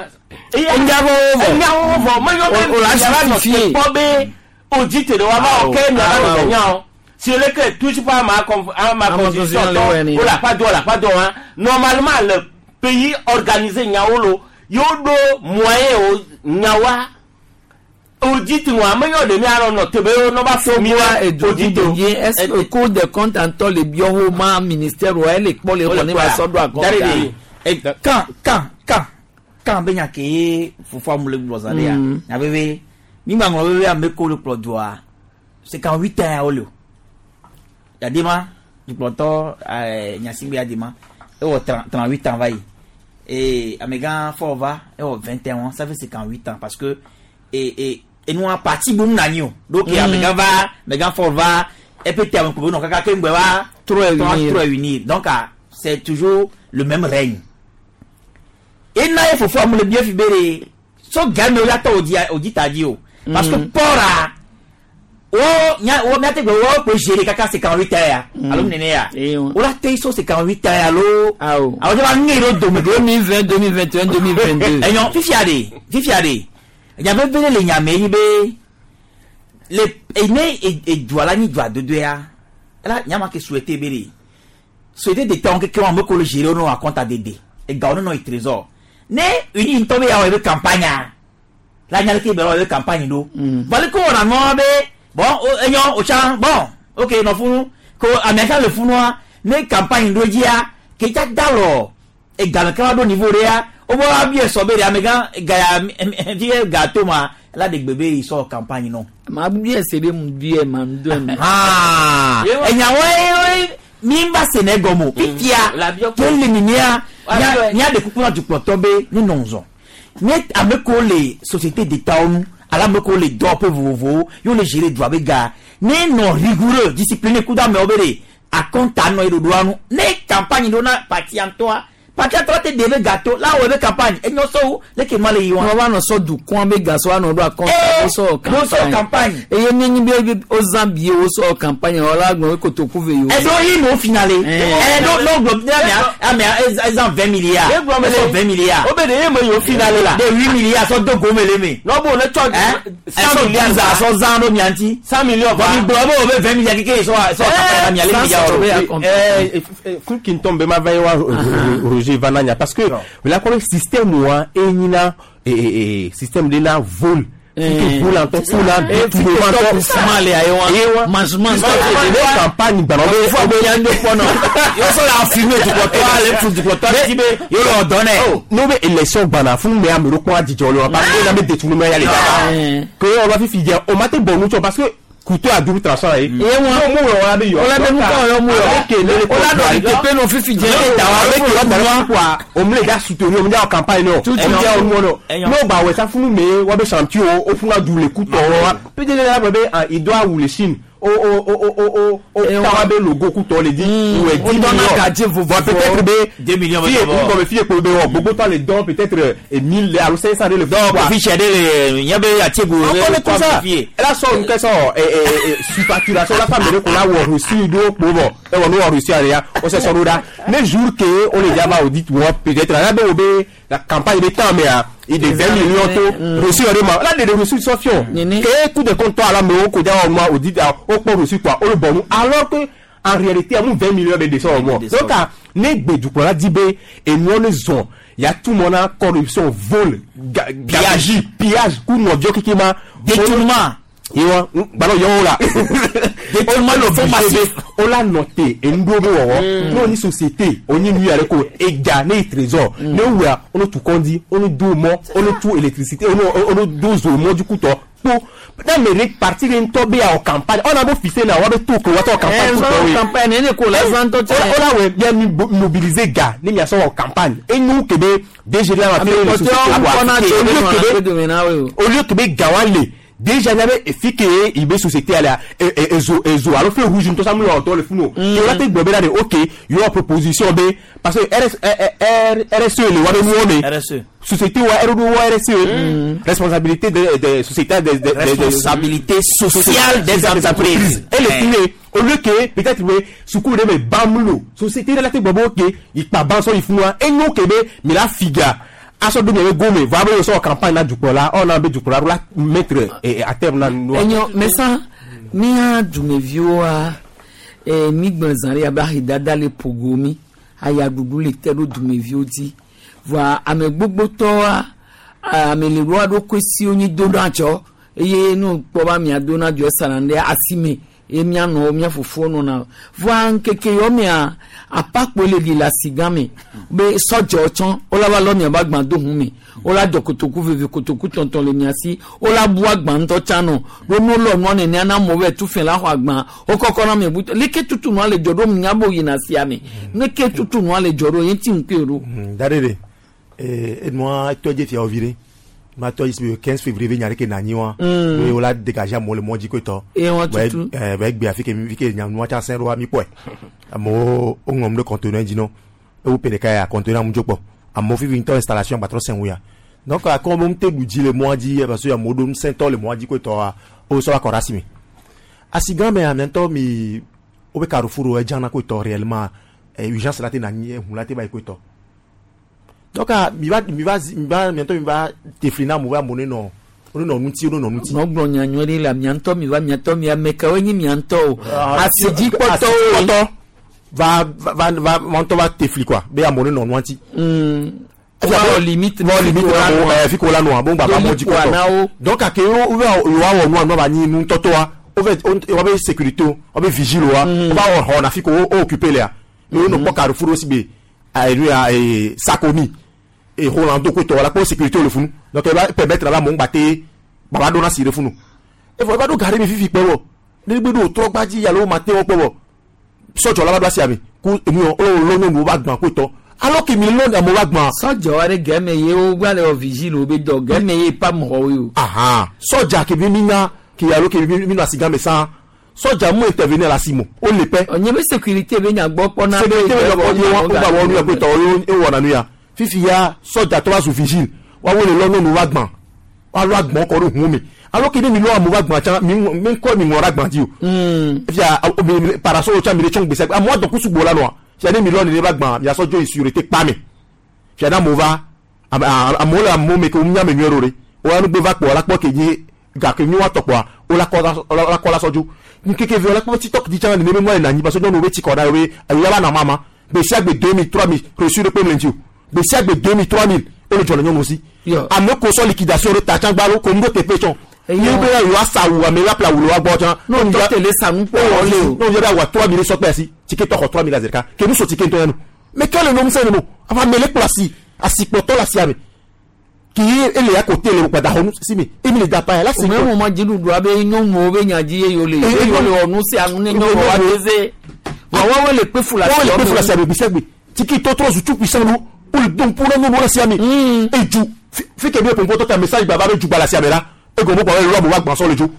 Enyawo vɔ. Enyawo vɔ. Menyɔ be O la miava nɔ justifier. te kpɔ be audit de wa va wɔ ke miava nɔ nyawo. Si le ke touche pas à ma à ma Ma constitution constitution, le wɛ ni. tɔ o la pa do o la pa do hein. Normalement le pays organisé nyawo lo yo ɖo moyen o nyawa audit wa menyɔ ɖe mianɔ nɔ te be nɔ ba fo mi Togoa wa edu audit o. ye est-ce que Cour des comptes ŋutɔ le biɔ wo ma ministère wa ele kpɔ le xɔ ne ba sɔ ɖo akɔnta. Kan kan kan kan be nya ke ye fofoa mu le gblɔ zã ɖe ya nya veve mi gba ŋlɔ veve ame ko le kplɔ dua 58 ans ya wole o yadema dukplɔtɔ nyasigbe yadema ewɔ 38 ans va yi et amegã fɔ va ewɔ 21 ans, ça fait 58 ans, parce que et enua parti bom na anyi o donc amegã va amegã fɔ va eƒe te ame ko be nɔ kaka ke ŋgbɛ va Trop réunir. Trop réunir, donc ah, c'est toujours le même règne. Ena ye fofo amu le bie fi be de so game o ya tɔ odi odi ta di o parce que pɔra wo nya wo miate gbe wo ko gérer kaka 58 ans ya alo nene ya o la te so 58 ans ya lo Awo. awo jɛ ba ŋe ɖo dome 2020, 2021, 2022. Enyɔ fifia de fifia de nya veve ɖe le nya me yi be le ene edua la nyi dua dodo ya ela nya ma ke souhaité be de souhaité de tɔn keke wɔn ame ko le gérer wo nɔ akɔnta dede egawo ne nɔ yi trésor ne uni ŋutɔ be ya wɔ ebe campagne la nya leke be wɔ ebe campagne ɖo vɔli ko wɔna nua be bon enyɔ o tsã bon ok nɔ funu ko amea tsã le funua ne campagne ɖo dzia ke tsa da lɔ egame ke va ɖo niveau ɖe ya wobe wa bi esɔ be ɖe amegã ga ya fi ke ga to ma la de gbe be yi sɔ campagne nɔ. Ma bi ese be mu bi ma nu do ma. Ah, enyawo ye mi ba se ne gɔme o fifia tó le ninia mía ɖe kuku na dukplɔtɔ be ne nɔ ŋzɔ ne ame kewo le société d'état nu alo ame kewo le dɔwɔƒe vovovowo ye wole gérer dua be ga ne nɔ rigoureux discipliné kudo amewo be de akɔnta nɔ ye ɖoɖoa nu ne campagne ɖo na partia ŋutɔa partia ŋutɔ te de be gato la wɔ ebe campagne enyɔ sɔwo leke ma le yi wa. Wọ́n bá nɔ sɔ dukɔn be gasɔ anɔ ɖo akɔnta wo sɔ wo sɔ campagne. Eye ne nyi be o zã bie wo sɔ campagne wɔ la gbɔn kotoku ve yi o. Ɛdó yi no finale ɛdó n'o gblɔ ne amea amea ezan 20 milliards ɛsɔ 20 milliards o bɛ de ye me y'o finale la de 8 milliards sɔ do gome le me. N'o ne tsɔ 100 milliards sɔ zan ɖo mia ŋuti. 100 millions va mi gblɔ be o be 20 milliards keke sɔ sɔ campagne mia le milliards o. Fún kí n tọ́ bẹ́ẹ̀ ma va ye wa Roger Vananya parce que la kɔrɔ système wa e ɲina système de na vol. Vol en tɔ kuna détournement tɔ Suma le ayi wa. Manchement ne campagne gbana o Fɔ be yan do kpɔnɔ yɔ sɔ la filmer dukɔtɔ ale fu dukɔtɔ ti be yɔ lɔ dɔn nɛ. N'o bɛ élection gbana fún mi ame ɖo kpɔn adzidze le wa parce que na be détournement ya le daba ke o ba fifi dze o ma te bɔn nu tsɔ parce que couteau à double tranchant ye. Ye wa mu yɔ wa be yɔ. O la be mu kɔ yɔ mu yɔ. O la dɔ tepe nɔ fifi dze. Ne ta wa be ke wa quoi o mu le da soutenir o mu da campagne nɔ. O mu da o mu nɔ. N'o ba wɛ sa funu me wa be champion o funu du le coup tɔ wa. Peut-être la be ah il doit ou le Chine. O o o o o o o tawa be logo coup tɔ le di. Ou est 10 millions. Bon, peut-être be 2 millions. Fiye ko be fiye ko be wɔ gbogbo tɔ le dɔn peut-être 1000 alo 500 de le. Donc kofi sɛ de le ɲɛ bɛ a tegu. On connaît tout ça. Elle a sort une question surfacturation la femme de qu'on a wɔ reçu do po bɔ e wɔ n'o wɔ reçu ale ya o se sɔrɔ da ne jour que on les diaba audit wɔ peut-être la bɛ o bɛ la campagne bɛ temps mais ah il de 20 millions to reçu yɛrɛ ma la de reçu sɔ fiɔ que coup de compte tɔ a la mais o ko diya o ma audit o kpɔ reçu quoi o le bɔn nu alors que en réalité amu 20 millions bɛ descend au moins donc ah ne gbedukɔla di be enuɔ ne zɔn ya tout mon a corruption vol pillage pillage ku nɔviɔ keke ma détournement yewa gbalɔ yɔwɔ la détournement le fond massif o la nɔte enuɖo be wɔwɔ n'o ni société o ni nu yɛrɛ ko ega ne ye trésor ne wua o ne tu kɔndi o ne do mɔ o ne tu électricité o ne do zo mɔjuku tɔ kpo n'a mɛ parti de ŋutɔ be ya o campagne ɔna bo fise na wa be to ko wa tɔ campagne ko tɔ ye campagne ne ko la zan tɔ cɛ o la wɛ bia mi mobiliser ga ne mi asɔ wɔ campagne enu ke be DG la ma fi le société wa au lieu que be ga wa le Déjà nya be efi ke ye be société alea ezo ezo alo feu rouge ŋutɔ sa mu yɔ tɔ le funu o. Ke wòle te gblɔ be na de ok yewɔ proposition be parce que RS RSE le wa be nuwo me. RSE. Société wa RD wa RSE. Responsabilité de société de Responsabilité sociale des entreprises. Et le fini au lieu que peut-être be suku ɖe me bam lo société ɖe la te gbɔ be ok ikpa ban sɔ yi funu wa enyo ke be mi la figa asɔ do miabe gome vɔ abe sɔ campagne na dukplɔla ɔna be dukplɔla ɖo la mettre à terme na nua. Enyo mesa mía dumeviwoa mi gblẽ zã ɖe abe ahedada le ƒogo mi ayaɖuɖu le te ɖo dumeviwo dzi vɔa ame gbogbotɔwoa ame le ɖoa ɖokui siwo nyi do na dzɔ eye nu kpɔ be amea do na dzɔ esana ɖe asime eye mianɔ mia fofowo nɔna vɔa ŋkeke yɔ mea apakpo le ɖi le asi gã me be sɔdzɔ tsɔ wola va lɔ miaba gbã do hu me wola dzɔ kotoku veve kotoku tɔntɔn le mia si wola bu agbã ŋutɔ tsã nɔ ɖo nu lɔ nua nenea na amewo be tu fɛ la xɔ agbã wokɔkɔ na ame butɔ leke tutu nua le dzɔ ɖo nya bo yina sia me leke tutu nua le dzɔ ɖo ye ŋuti ŋkue ɖo. Da ɖe enua tɔ dze fia wo vi ɖe ma tɔ yi si be 15 février be nya ɖe ke na anyi wa be wola dégager amewo le mɔ dzi koe tɔ. Eye wɔn tutu. Bɛ gbe afi ke fi ke nya nua tsa sẽ ɖoa mi kpɔe amewo woŋlɔm ɖe conteneur dzi nɔ ewu pe ɖeka ya conteneur mu dzo kpɔ amewo fifi ŋutɔ installation gbatrɔ sẽ wu ya donc akɔ be ŋute ɖu dzi le mɔa dzi parce que amewo ɖo ŋusẽtɔ le mɔa dzi koe tɔa wosɔ va kɔ ɖe asi me asi gã mea mia ŋutɔ mi wobe carrefour wo edzana koe tɔ réellement urgence la te na anyi eʋu la te va yi koe tɔ donc mi va mi va mi va mia ŋutɔ mi va tefli na amewo be amewo ne nɔ wo ne nɔ ŋuti wo ne nɔ ŋuti. Nɔ gblɔ nya nyuie ɖe le mia ŋutɔ mi va mia ŋutɔ mi ame kawoe nye mia ŋutɔ o asidzikpɔtɔwo. Asidzikpɔtɔ va va va va ŋutɔ va tefli quoi be amewo ne nɔ nua ŋuti. Wowɔ limite wɔ limite na amewo fi ko la nɔa bo ŋgba va mɔ dzi kpɔtɔ donc ake wo wo wɔ nua nua ba nyi nutɔtɔa wo vɛ wo be sécurité wo be vigile wa wo va wɔ xɔ na fi ko wo occupé lea mais wo nɔ kpɔ carrefour wo si be enu ya Sakomi et Rolando koe tɔ la kpɔ sécurité le funu donc e va permettre la amewo ŋgba te baba ɖo na si ɖe funu evɔ eva ɖo gare mi fifi kpɔ wɔ ne gbe ɖo trɔ gbadzi alo ma te wɔ kpɔ wɔ sɔdzɔ la va ɖo asia me ku enu yɔ wo lɔ nyɔnuwo va gbã koe tɔ alors que mi lɔ amewo va gbã. Sɔdzɔ aɖe gɛmɛ ye wo gba le wɔ vigile wo be dɔ gɛmɛ ye pa mɔgɔwo ye o. Ahan sɔdza ke mi nya ke alo ke mi nɔ asi gã me sã sɔdza mu intervenir le asi mo wo le pɛ. Ɔnye be sécurité be nya gbɔ kpɔ na. Sécurité be nya gbɔ ye wa wo gba wɔ nu ya koe tɔ ye wɔna nu ya fifi ya sɔdza tɔ va zu vigile woawo le lɔ nyɔnuwo va gbã woalɔ agbɔn kɔ ɖo ʋu me alors que ne mi lɔ amewo va gbã tsã mi mi ŋkɔ mi ŋlɔ ɖe agbã dzi o. Fia mi parasol tsã mi le tsɔ gbèsè amewo adɔ kusu gbo la nɔa fia ne mi lɔ nene va gbã miasɔ dzo yi sûreté kpa me fia ne amewo va amewo le amewo me ke wo nya me nyuie ɖo ɖe wo nugbe va kpɔ la kpɔ ke nyi gake nyi woatɔ kpɔa wo la kɔ la sɔ dzo nkeke ve la kpɔ tiktok di tsã nene be nua le nanyi parce que nyɔnuwo be tsi kɔ ɖa ye be eya va na mama gbe sia gbe 2000 3000 reçu ɖe kpe mle ŋuti o gbe sia gbe 2000 3000 wole dzɔ le nyɔnuwo si ame ko sɔ liquidation ɖe ta tsã gba lo ko nu ɖo teƒe tsɔ ye be yewoa sa awu ame la ƒle awu le woa gbɔ tsã. N'o tɔ tele sanu kpɔ wɔ le o. N'o yɛ bɛ awa 3000 sɔ kpe asi tike tɔ xɔ 3000 la zi ɖeka ke nu so tike ŋutɔ ya nu mais quel est le ŋusẽ ne mo ava ame le kplɔ asi asikplɔtɔ le asia me ki ye ele ya kote le gbada xɔ nu si me emi le da pa ya la si. O mɛ mo ma dziɖuɖua be nyɔnuwo be nya dzi ye yewo le ye yewo le wɔ nu sia nu ne nyɔnuwo wa teze wa woawo le kpe fu la si. Woawo le kpe fu la si ame gbesiagbe tiki tɔtrɔ zu tout puissant lo wo le dɔn ƒo ɖe nyɔnuwo le sia me edu fi ke mi ƒoƒo tɔ ta message gbava be dugba le asia me la egɔme kpɔ be lɔ amewo agbã sɔ le dzo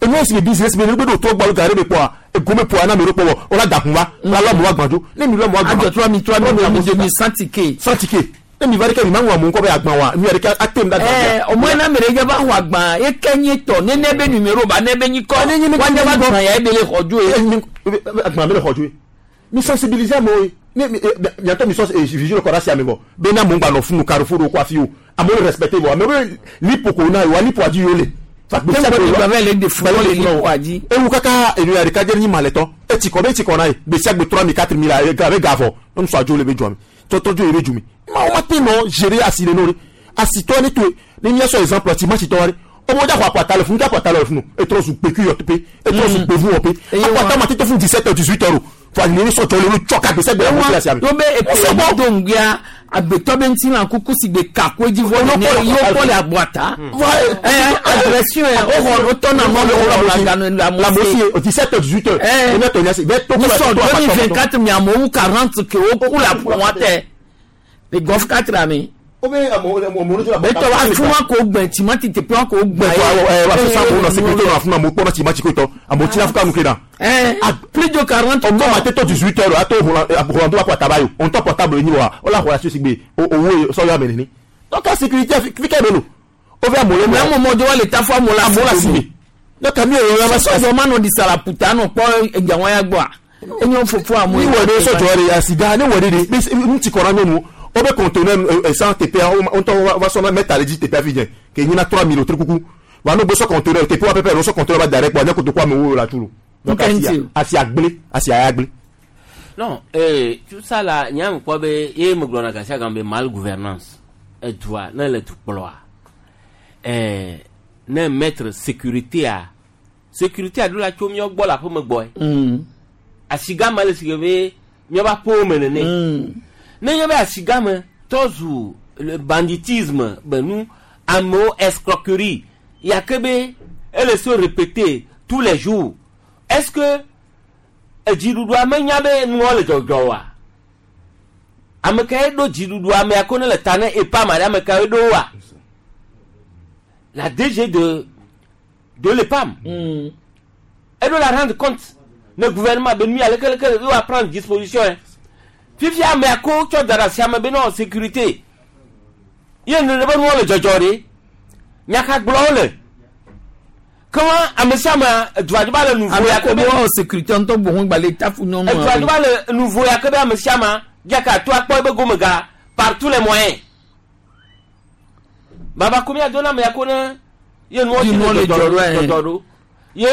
enu esi be business me ne gbe ɖo trɔ gbɔ gare me kpɔa egome ƒoa na ame ɖo kpɔ wɔ wola da hun va wola lɔ amewo agbã dzo ne mi lɔ amewo agbã. Adzɔ 3000 3000 3000 100 ticket. 100 ticket ne mi va ɖeke mi ma ŋlɔ amewo ŋkɔ be agbã wa nu ya ɖeke ate mu ɖe agbã. Ɛɛ ɔmɔ yina ame ɖe va xɔ agbã ye ke nye tɔ nene be numéro ba ne be nyikɔ wa ne va gbã ya ebe le xɔ dzo ye. Agbã be le xɔ dzo ye mi sensibiliser amewo ye ne miatɔ mi sɔ vigile kɔ ɖe asia me vɔ be na amewo gba nɔ funu carrefour ɖo kɔ afi o amewo respecté vɔ amewo be lipo ko na yewoa lipo dzi yewo le. Ewu kaka enu ya ɖeka dze nyi malɛtɔ etsi kɔ be etsi kɔ na ye gbesiagbe 3000 4000 abe ga vɔ nyɔnu sɔ adzo le be dzoa me tɔtɔ dzo ye be dzo me ma wo ma te nɔ gérer asi le no ɖe asitɔ ne to ne miasɔ exemple timatitɔ wa ɖe ɔmɔ dza xɔ akpata le funu dza akpata le funu etrɔ zu kpeku yɔ teƒe etrɔ zu gbevu wɔ pe akpata ma tete funu 17 heures 18 heures o fo anyini ne sɔdzɔ le wo tsɔ ka gbesiagbe la mɔsi la sia me. Yo be epe do ŋgbea agbetɔ be ŋuti kuku si gbe kako edzi vɔ ne yewo kpɔ le agboata. Agression yɛ wo xɔ wo tɔ na mɔ le wɔ la ganu la mosi. 17 heures 18 heures. Ene tɔ nya se bɛ to Musɔ 2024 mi amewo 40 ke wo ku la ƒo tɛ le golf 4 ami. O be amewo amewo Betɔ wa fún wa kò gbẹ timati tepe wa kò gbẹ. Wa sisan ko na sécurité na fún amewo kpɔna timati ko tɔ amewo tina fún kanu ke na. Plus de 40. Ɔgbɔn ma tɛ tɔ 18 heures ato Rolando wa kɔ ataba yo on tɔ portable nyi wa o la xɔ asi sigbe o owó ye sɔyɔ ame nene. Donc la sécurité fi kɛ bɛ lo. O bɛ amewo Mais amewo de wa le ta fún amewo la amewo la si donc ami yɛrɛ ma sɔjɔ ma nɔ di salaputa nɔ kpɔ edzawọn ya gbɔa enyo fofo amewo. Ni wɔ de sɔjɔ de asiga ne wɔ de de n ti kɔra nyɔnu o bɛ conteneur sans TPA o tɔ wa sɔnna mɛta le dzi TPA fi dze ke nyina 3000 o tri kuku wa n'o bɛ sɔ conteneur TPA wa pɛpɛ n'o sɔ conteneur ba da rɛ kpɔ ne kotoku amewo la tu lo donc asi agble asi aya agble. Non, tout ça là, nya me kpɔ be ye me gblɔna gasia game be mal gouvernance edua ne le dukplɔa ne mettre sécurité a sécurité a ɖo la tso míawo gbɔ le aƒeme gbɔe. Asigame le si ke be míaƒe aƒewo me nene. Ne nye be asigame tɔ zu le banditisme be nu amewo escroquerie ya ke be ele se répéter tous les jours. Est-ce que edziɖuɖua menya be nuwo le dzɔdzɔ oa? Ame kae ɖo dziɖuɖua mea ko ne le ta ne EPAM aɖe ame kae ɖo woa? La DG de l'EPAM. Elle doit la rendre compte. Le gouvernement be nu aleke leke doit prendre disposition. Fifia ame ko tsɔ da ɖe asi ame be nɔ sécurité. Ye ne be nuwo le dzɔdzɔ ɖe. Nyaka gblɔ wole. Comment ame sia ame edua dzi ba le nuvo ya ke be sécurité ŋutɔ boŋ gba le tafu nyɔnu. Edua dzi ba le nuvo ya ke be ame sia ame diaka to akpɔ ebe gome ga par tous les moyens. Baba ko mia dona ame ya ko ne ye nuwo Di nuwo le dzɔ ɖo, dzɔdzɔ ɖo. Ye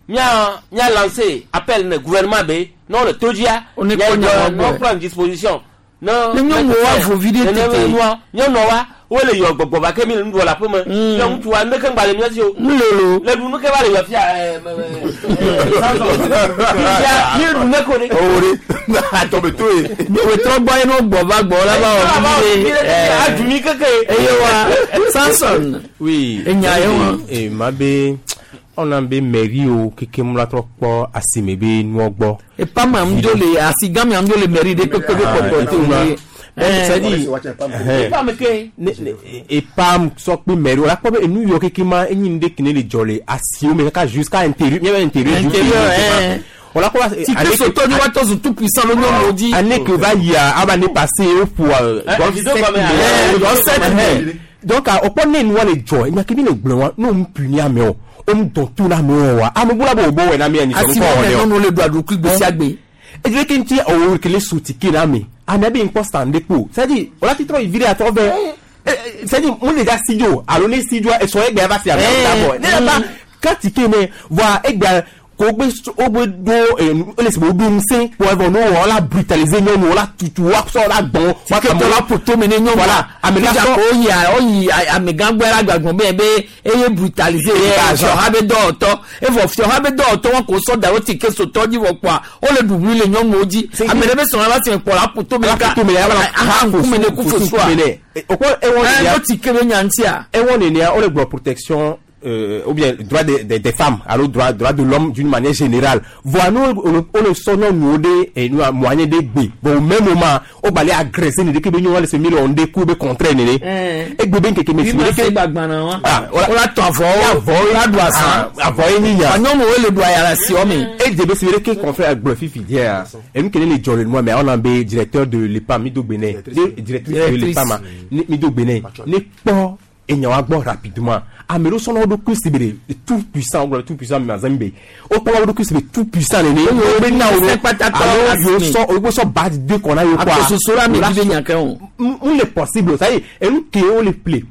mia lancé appel ne gouvernement be non le todia On est connu en non prendre disposition. Non Ne nyɔnuwo wa vo vi ɖe tete. Nyɔnuwo wole yɔ gbɔgbɔ va ke mi le nu ɖu le aƒeme. Nye ŋutsua nu ɖeke ŋgba le mía si o. Nulolo. Le ɖu nu ke va le yɔ fia fia mi ɖu ne ko ɖe. O de atɔ be to ye. Wetrɔ gbɔ ye n'o gbɔ va gbɔ la va wɔ vi ɖe. Adu mi keke. Eye wa Samson. Oui. Enya ye wa. Ma be ɔna be mairie o keke mu la trɔ kpɔ asime be nuɔ gbɔ. EPAM amudzo le asigame amudzo le mairie de kpekpe be kpɔkpɔ te o ye. C'est-à-dire, EPAM sɔ kpe mairie o la kpɔ be enu yɔ keke ma enyi nu ɖe kene le dzɔ le asiwo me kaka jusqu'à intérieur miabe intérieur. On la kpɔ Tike sotɔ ni wa tɔ zu tout puissant le nyɔnuwo dzi. Année que va yia aba année passée o ƒo 7 mai. Donc o kpɔ ne nua le dzɔ enya ke mi le gblɔ wa n'o mu puni amewo o mu dɔn tu na amewo wa ame bula be o bɔ wɛ na mi yanni sɔrɔ Asiwɔ kɔ mɛ wɔ nyɔnuwo le do aɖukui gbe sia gbe. Edire ke ŋuti owó kele su tike na ame ame be ŋkpɔ stand de kpo c'est-à-dire o la ti trɔ yi vi ɖe atɔ vɛ c'est-à-dire mun le da si dzo alo ne si dzo esɔ egbe va si ame da bɔ ne yɛ ba ka tike ne voa egbe ko gbe o gbe do ele si be o do ŋusẽ kpɔ evɔ no wɔ la brutaliser nyɔnu o la tutu wa sɔ la gbɔn. Tike tɔ la poto me ne nyɔnu. Voilà ame la Fija sɔ ko oyi oyi amegã gbɔ la gbagbɔn bɛ be eye brutaliser ye fiɔha be dɔwɔtɔ evɔ fiɔha be dɔwɔtɔ wɔn ko sɔ da o tike sotɔ dzi vɔ kpɔa o le ɖuɖu le nyɔnuwo dzi ame ɖe be sɔrɔ la si kpɔ la poto me ka poto me la aha ŋkume ne ku fosua. O kɔ ewɔ Ɛ o tike be nya ŋutia. ewɔ nenea o le gblɔ protection ou bien droit des femmes alors droit de l'homme d'une manière générale voa nous on le sɔ nyɔnuwo ɖe enu moyen de gbe bon au même moment o gba le agresser ne ɖeke be nyɔnua le se mi le wɔm ɖe ku be contraire nene egbe be ŋkeke me Bi si ma se ɖeke gbagbana wa. Ah, O la tɔ avɔ avɔ o la ɖu azã. avɔ ye nyi nya Nyɔnuwo le ɖu aya le asiɔ me. edze be si ɖeke confrère agblɔ fifi dia enu kene le dzɔ le nua mɛ ɔna be directeur de l'EPAM mi do gbe nɛ directrice de l'EPAM mi do gbe nɛ ne kpɔ enyawa gbɔ rapidement ame ɖewo sɔnna wo ɖokui si be de tout puissant wogblɔ tout puissant mais azãmi be wokpɔ wo ɖokui si be tout puissant nene wo be na wo alo yewo sɔ wo sɔ ba de kɔ na yewo kɔa Akososo la mi dzi be nya ke o. n le possible ça y est enu ke wo le ple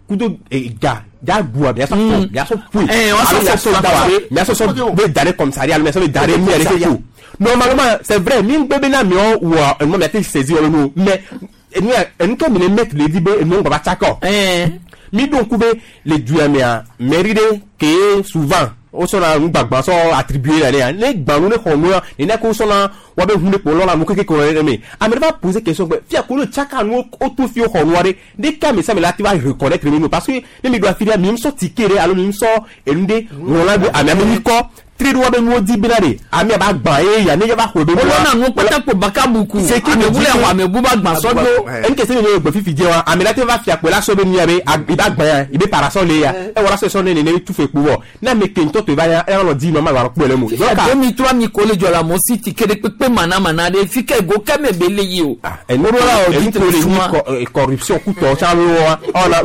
kudo ga ja gua mia sɔ fɔ mia sɔ foyi wa sɔ alo mia sɔ da wa mia sɔ sɔ be da ɖe commissariat alo mia sɔ be da ɖe mi yɛrɛ ke ko normalement c'est vrai mi ŋgbɛ be na miɔ wɔ enua mia te saisir wɔ nu mais enua enu ke mi le mettre le di be enu ŋgbɔ va tsakɔ mi ɖo ŋku be le duya mea mairie ɖe ke souvent wosɔna nugbagba sɔ attribué la ne ne gbanu ne xɔ nua nene ko wosɔna woabe ʋu ne kpo lɔna nu keke kɔ ɖe me ame ɖe va poser question gbe fia ko le tsaka nu woto fi xɔ nua ɖe ɖeka ame sia ame la te va reconnaître mi nu parce que ne mi ɖo afi ɖea mi sɔ ticket ɖe alo mi sɔ enu ɖe ŋlɔ la be ame ame mi kɔ tri ɖo be nuwo di bena de ame ba gbã ye ya ne ya va xɔ be. Olona nu kpata baka buku. Ame bu le xɔ ame bu ba gbã sɔdzo. Enu kese ne gbe fifi dze wa ame la te va fia kpe la sɔ be nu ya be i ba gbã ya i be parasol le ya e wala sɔ sɔ ne ne tu fe kpo wɔ ne ame ke ŋutɔ to va ya e lɔ di nɔ ma va kpɔe le mo. Fifia 2003 mi ko le dzɔ la mo si ti ke ɖe kpekpe mana mana ɖe fi ke go ke me be le yi o. Enu ko le ni corruption kutɔ tsa be wa ɔna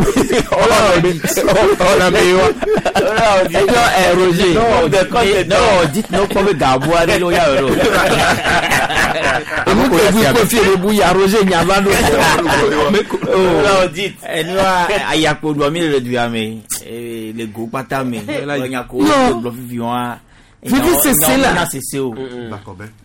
ɔna be wa. Ẹjọ ẹ Roger non dites non kpɔ be gabu aɖe le wo ya wɔ Emu ke bu ko fi le bu ya Roger nyava ɖo. Enua ayakpo ɖua mi le du ya me le go kpata me nyako gblɔ fifi wa. Vivi sese la. Na sese o.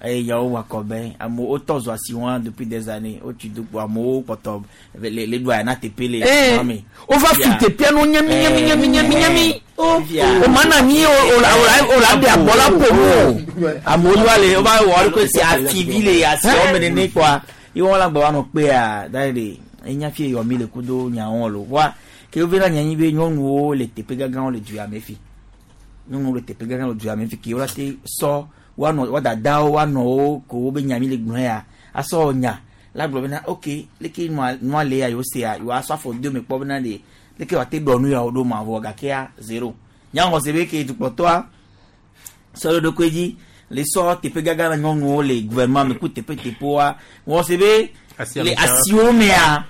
Yawo wakɔbɛ amewo wotɔ zɔ asi wa depuis des années wotsi do kpo amewo kpɔtɔ le le ɖua na teƒe le Eh, wova fi teƒea no nyami nyami nyami nyami nyami. O mana nyi o la o la de abɔ la ƒo mu o. Amewo wa le wova wɔ ɖo si ativi le asiwo me nene kpoa ye wɔn la gbɔ wa nɔ kpea da le enya fi yɔ mi le kudo nyawo lo wa ke wo va nya nyi be nyɔnuwo le teƒe gãgãwo le du ya me fi nyɔnuwo le teƒe gãgã le du ya me fi ke wo la te sɔ woanɔ woa dadawo woanɔwo ko wo be nya mi le gblɔ ya asɔ nya la gblɔ bena ok leke nua le ya yewo sea yewoa sɔ afɔ do me kpɔ bena de leke wòate ɖɔ nu ya wo ɖo ma vɔ gakea zéro nyaŋɔ se be ke dukplɔtɔa sɔ ɖe ɖokui dzi le sɔ teƒe gãgã na nyɔnuwo le gouvernement me ku teƒe teƒewoa wɔ se be le asiwo mea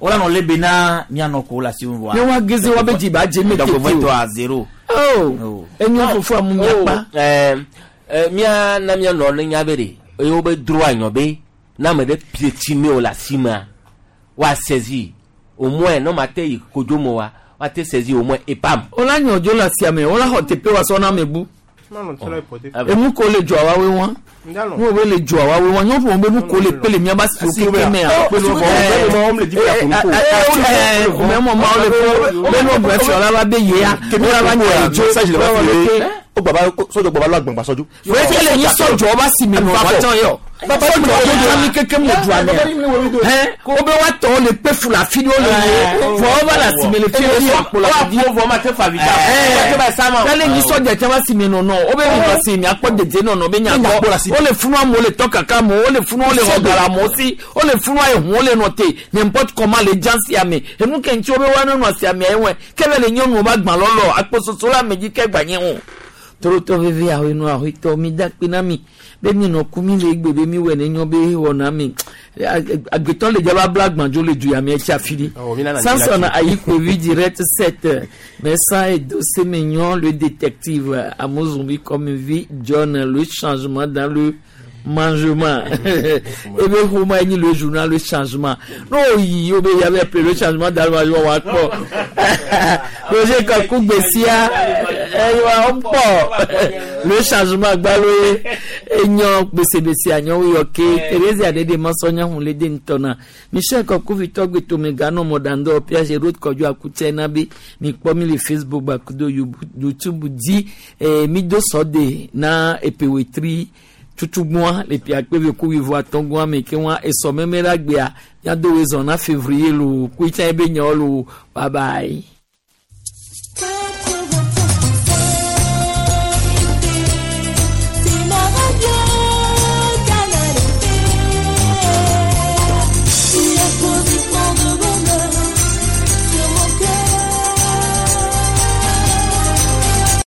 wola nɔ le bena mianɔ ko le asiwo me vɔa. Ne wa geze wa be dzi ba dze me tete o. Dɔgbɔvɔtɔa zéro. Oh, enyo fofo amu miakpa. Mía na míanɔ ne nya be ɖe eye wobe droit nyɔ be na ame ɖe pie tsi ne o le asi mea woa saisi au moins ne ma te yi kodzo me oa woa te saisi au moins epam. Wola nyɔ dzo le asia me wola xɔ teƒe wa sɔ na ame bu. Enu ko le dzɔa wa we wa. Nu wo le dzɔa wa we wa nyɔnu be nu ko le pe le miaba si wo keke mea. Mɛ mɔ ma wo le fɔ be nu gbɛ fiɔ la va be yea. Wola va nyɔ dzo. O gbaba sɔjɔ gbaba lɔ agbɔngba sɔjɔ. Wọ́n ti lè yín sọ̀jọ̀ ọba sì mi nù wá tán yọ. Sọ̀jọ̀ ọba mi kékeré mu du àmì ẹ̀. O bẹ wa tọ̀ lè pé fula fi ni o lè yé. Fọ ọba la sì mi lè fi lè fọ wa fọ fọ ma te fa vita. Tẹ́lẹ̀ yín sọ̀jọ̀ tí a bá sì mi nù nù. O bẹ mi lọ sí mi akpọ̀ dèdè nù nù o bẹ nyà kọ́. O lè funu amu o lè tọ́ kàkà mu o lè funu o lè wọ gara mu sí. O lè funu ayé hun o lè nọ te n'importe comment lè jan sí àmì. Enu kẹ́ntì o bẹ wá nínú àsì àmì ayé wẹ̀. Kẹ́lẹ́ lè nyɔnu o bá gbà lọ́lọ́ akpọ̀soso la mɛ dzi kẹ́ gbà nyɛ o torotɔ veve ahɔenu ahɔetɔ mi da kpe na mi be mi nɔ ku mi le egbe be mi wɔ ne nyɔ be wɔ na mi agbetɔ le dzaba bla gbãdzo le du ya mi etsi afi ɖi Samson Ayikpovi direct 7 mais sans Edo Mignon le détective Amozumbi comme vie John le changement dans le mangement ebe xɔma enyi le journal le changement n'o yi o be yabe appelé le changement dans le mangement wa kpɔ Roger Kaku gbesia eyiwa o kpɔ le changement gbalo ye enyɔ gbesebese anyɔwo yɔ ke Therese Adede masɔnya hun le de ŋutɔ na Michel Kaku vitɔ gbetome ganɔ mɔdandɔ Piaget road kɔdzo akutse na be mi kpɔ mi le Facebook gbakudo YouTube dzi mi do sɔ de na epewetri tutugbɔn le pia kpe ve ku wivo atɔgbɔn me ke wɔn esɔ mɛmɛ la gbea miado wezɔn na février lo kuitsa ebe nyɔ lo bye bye.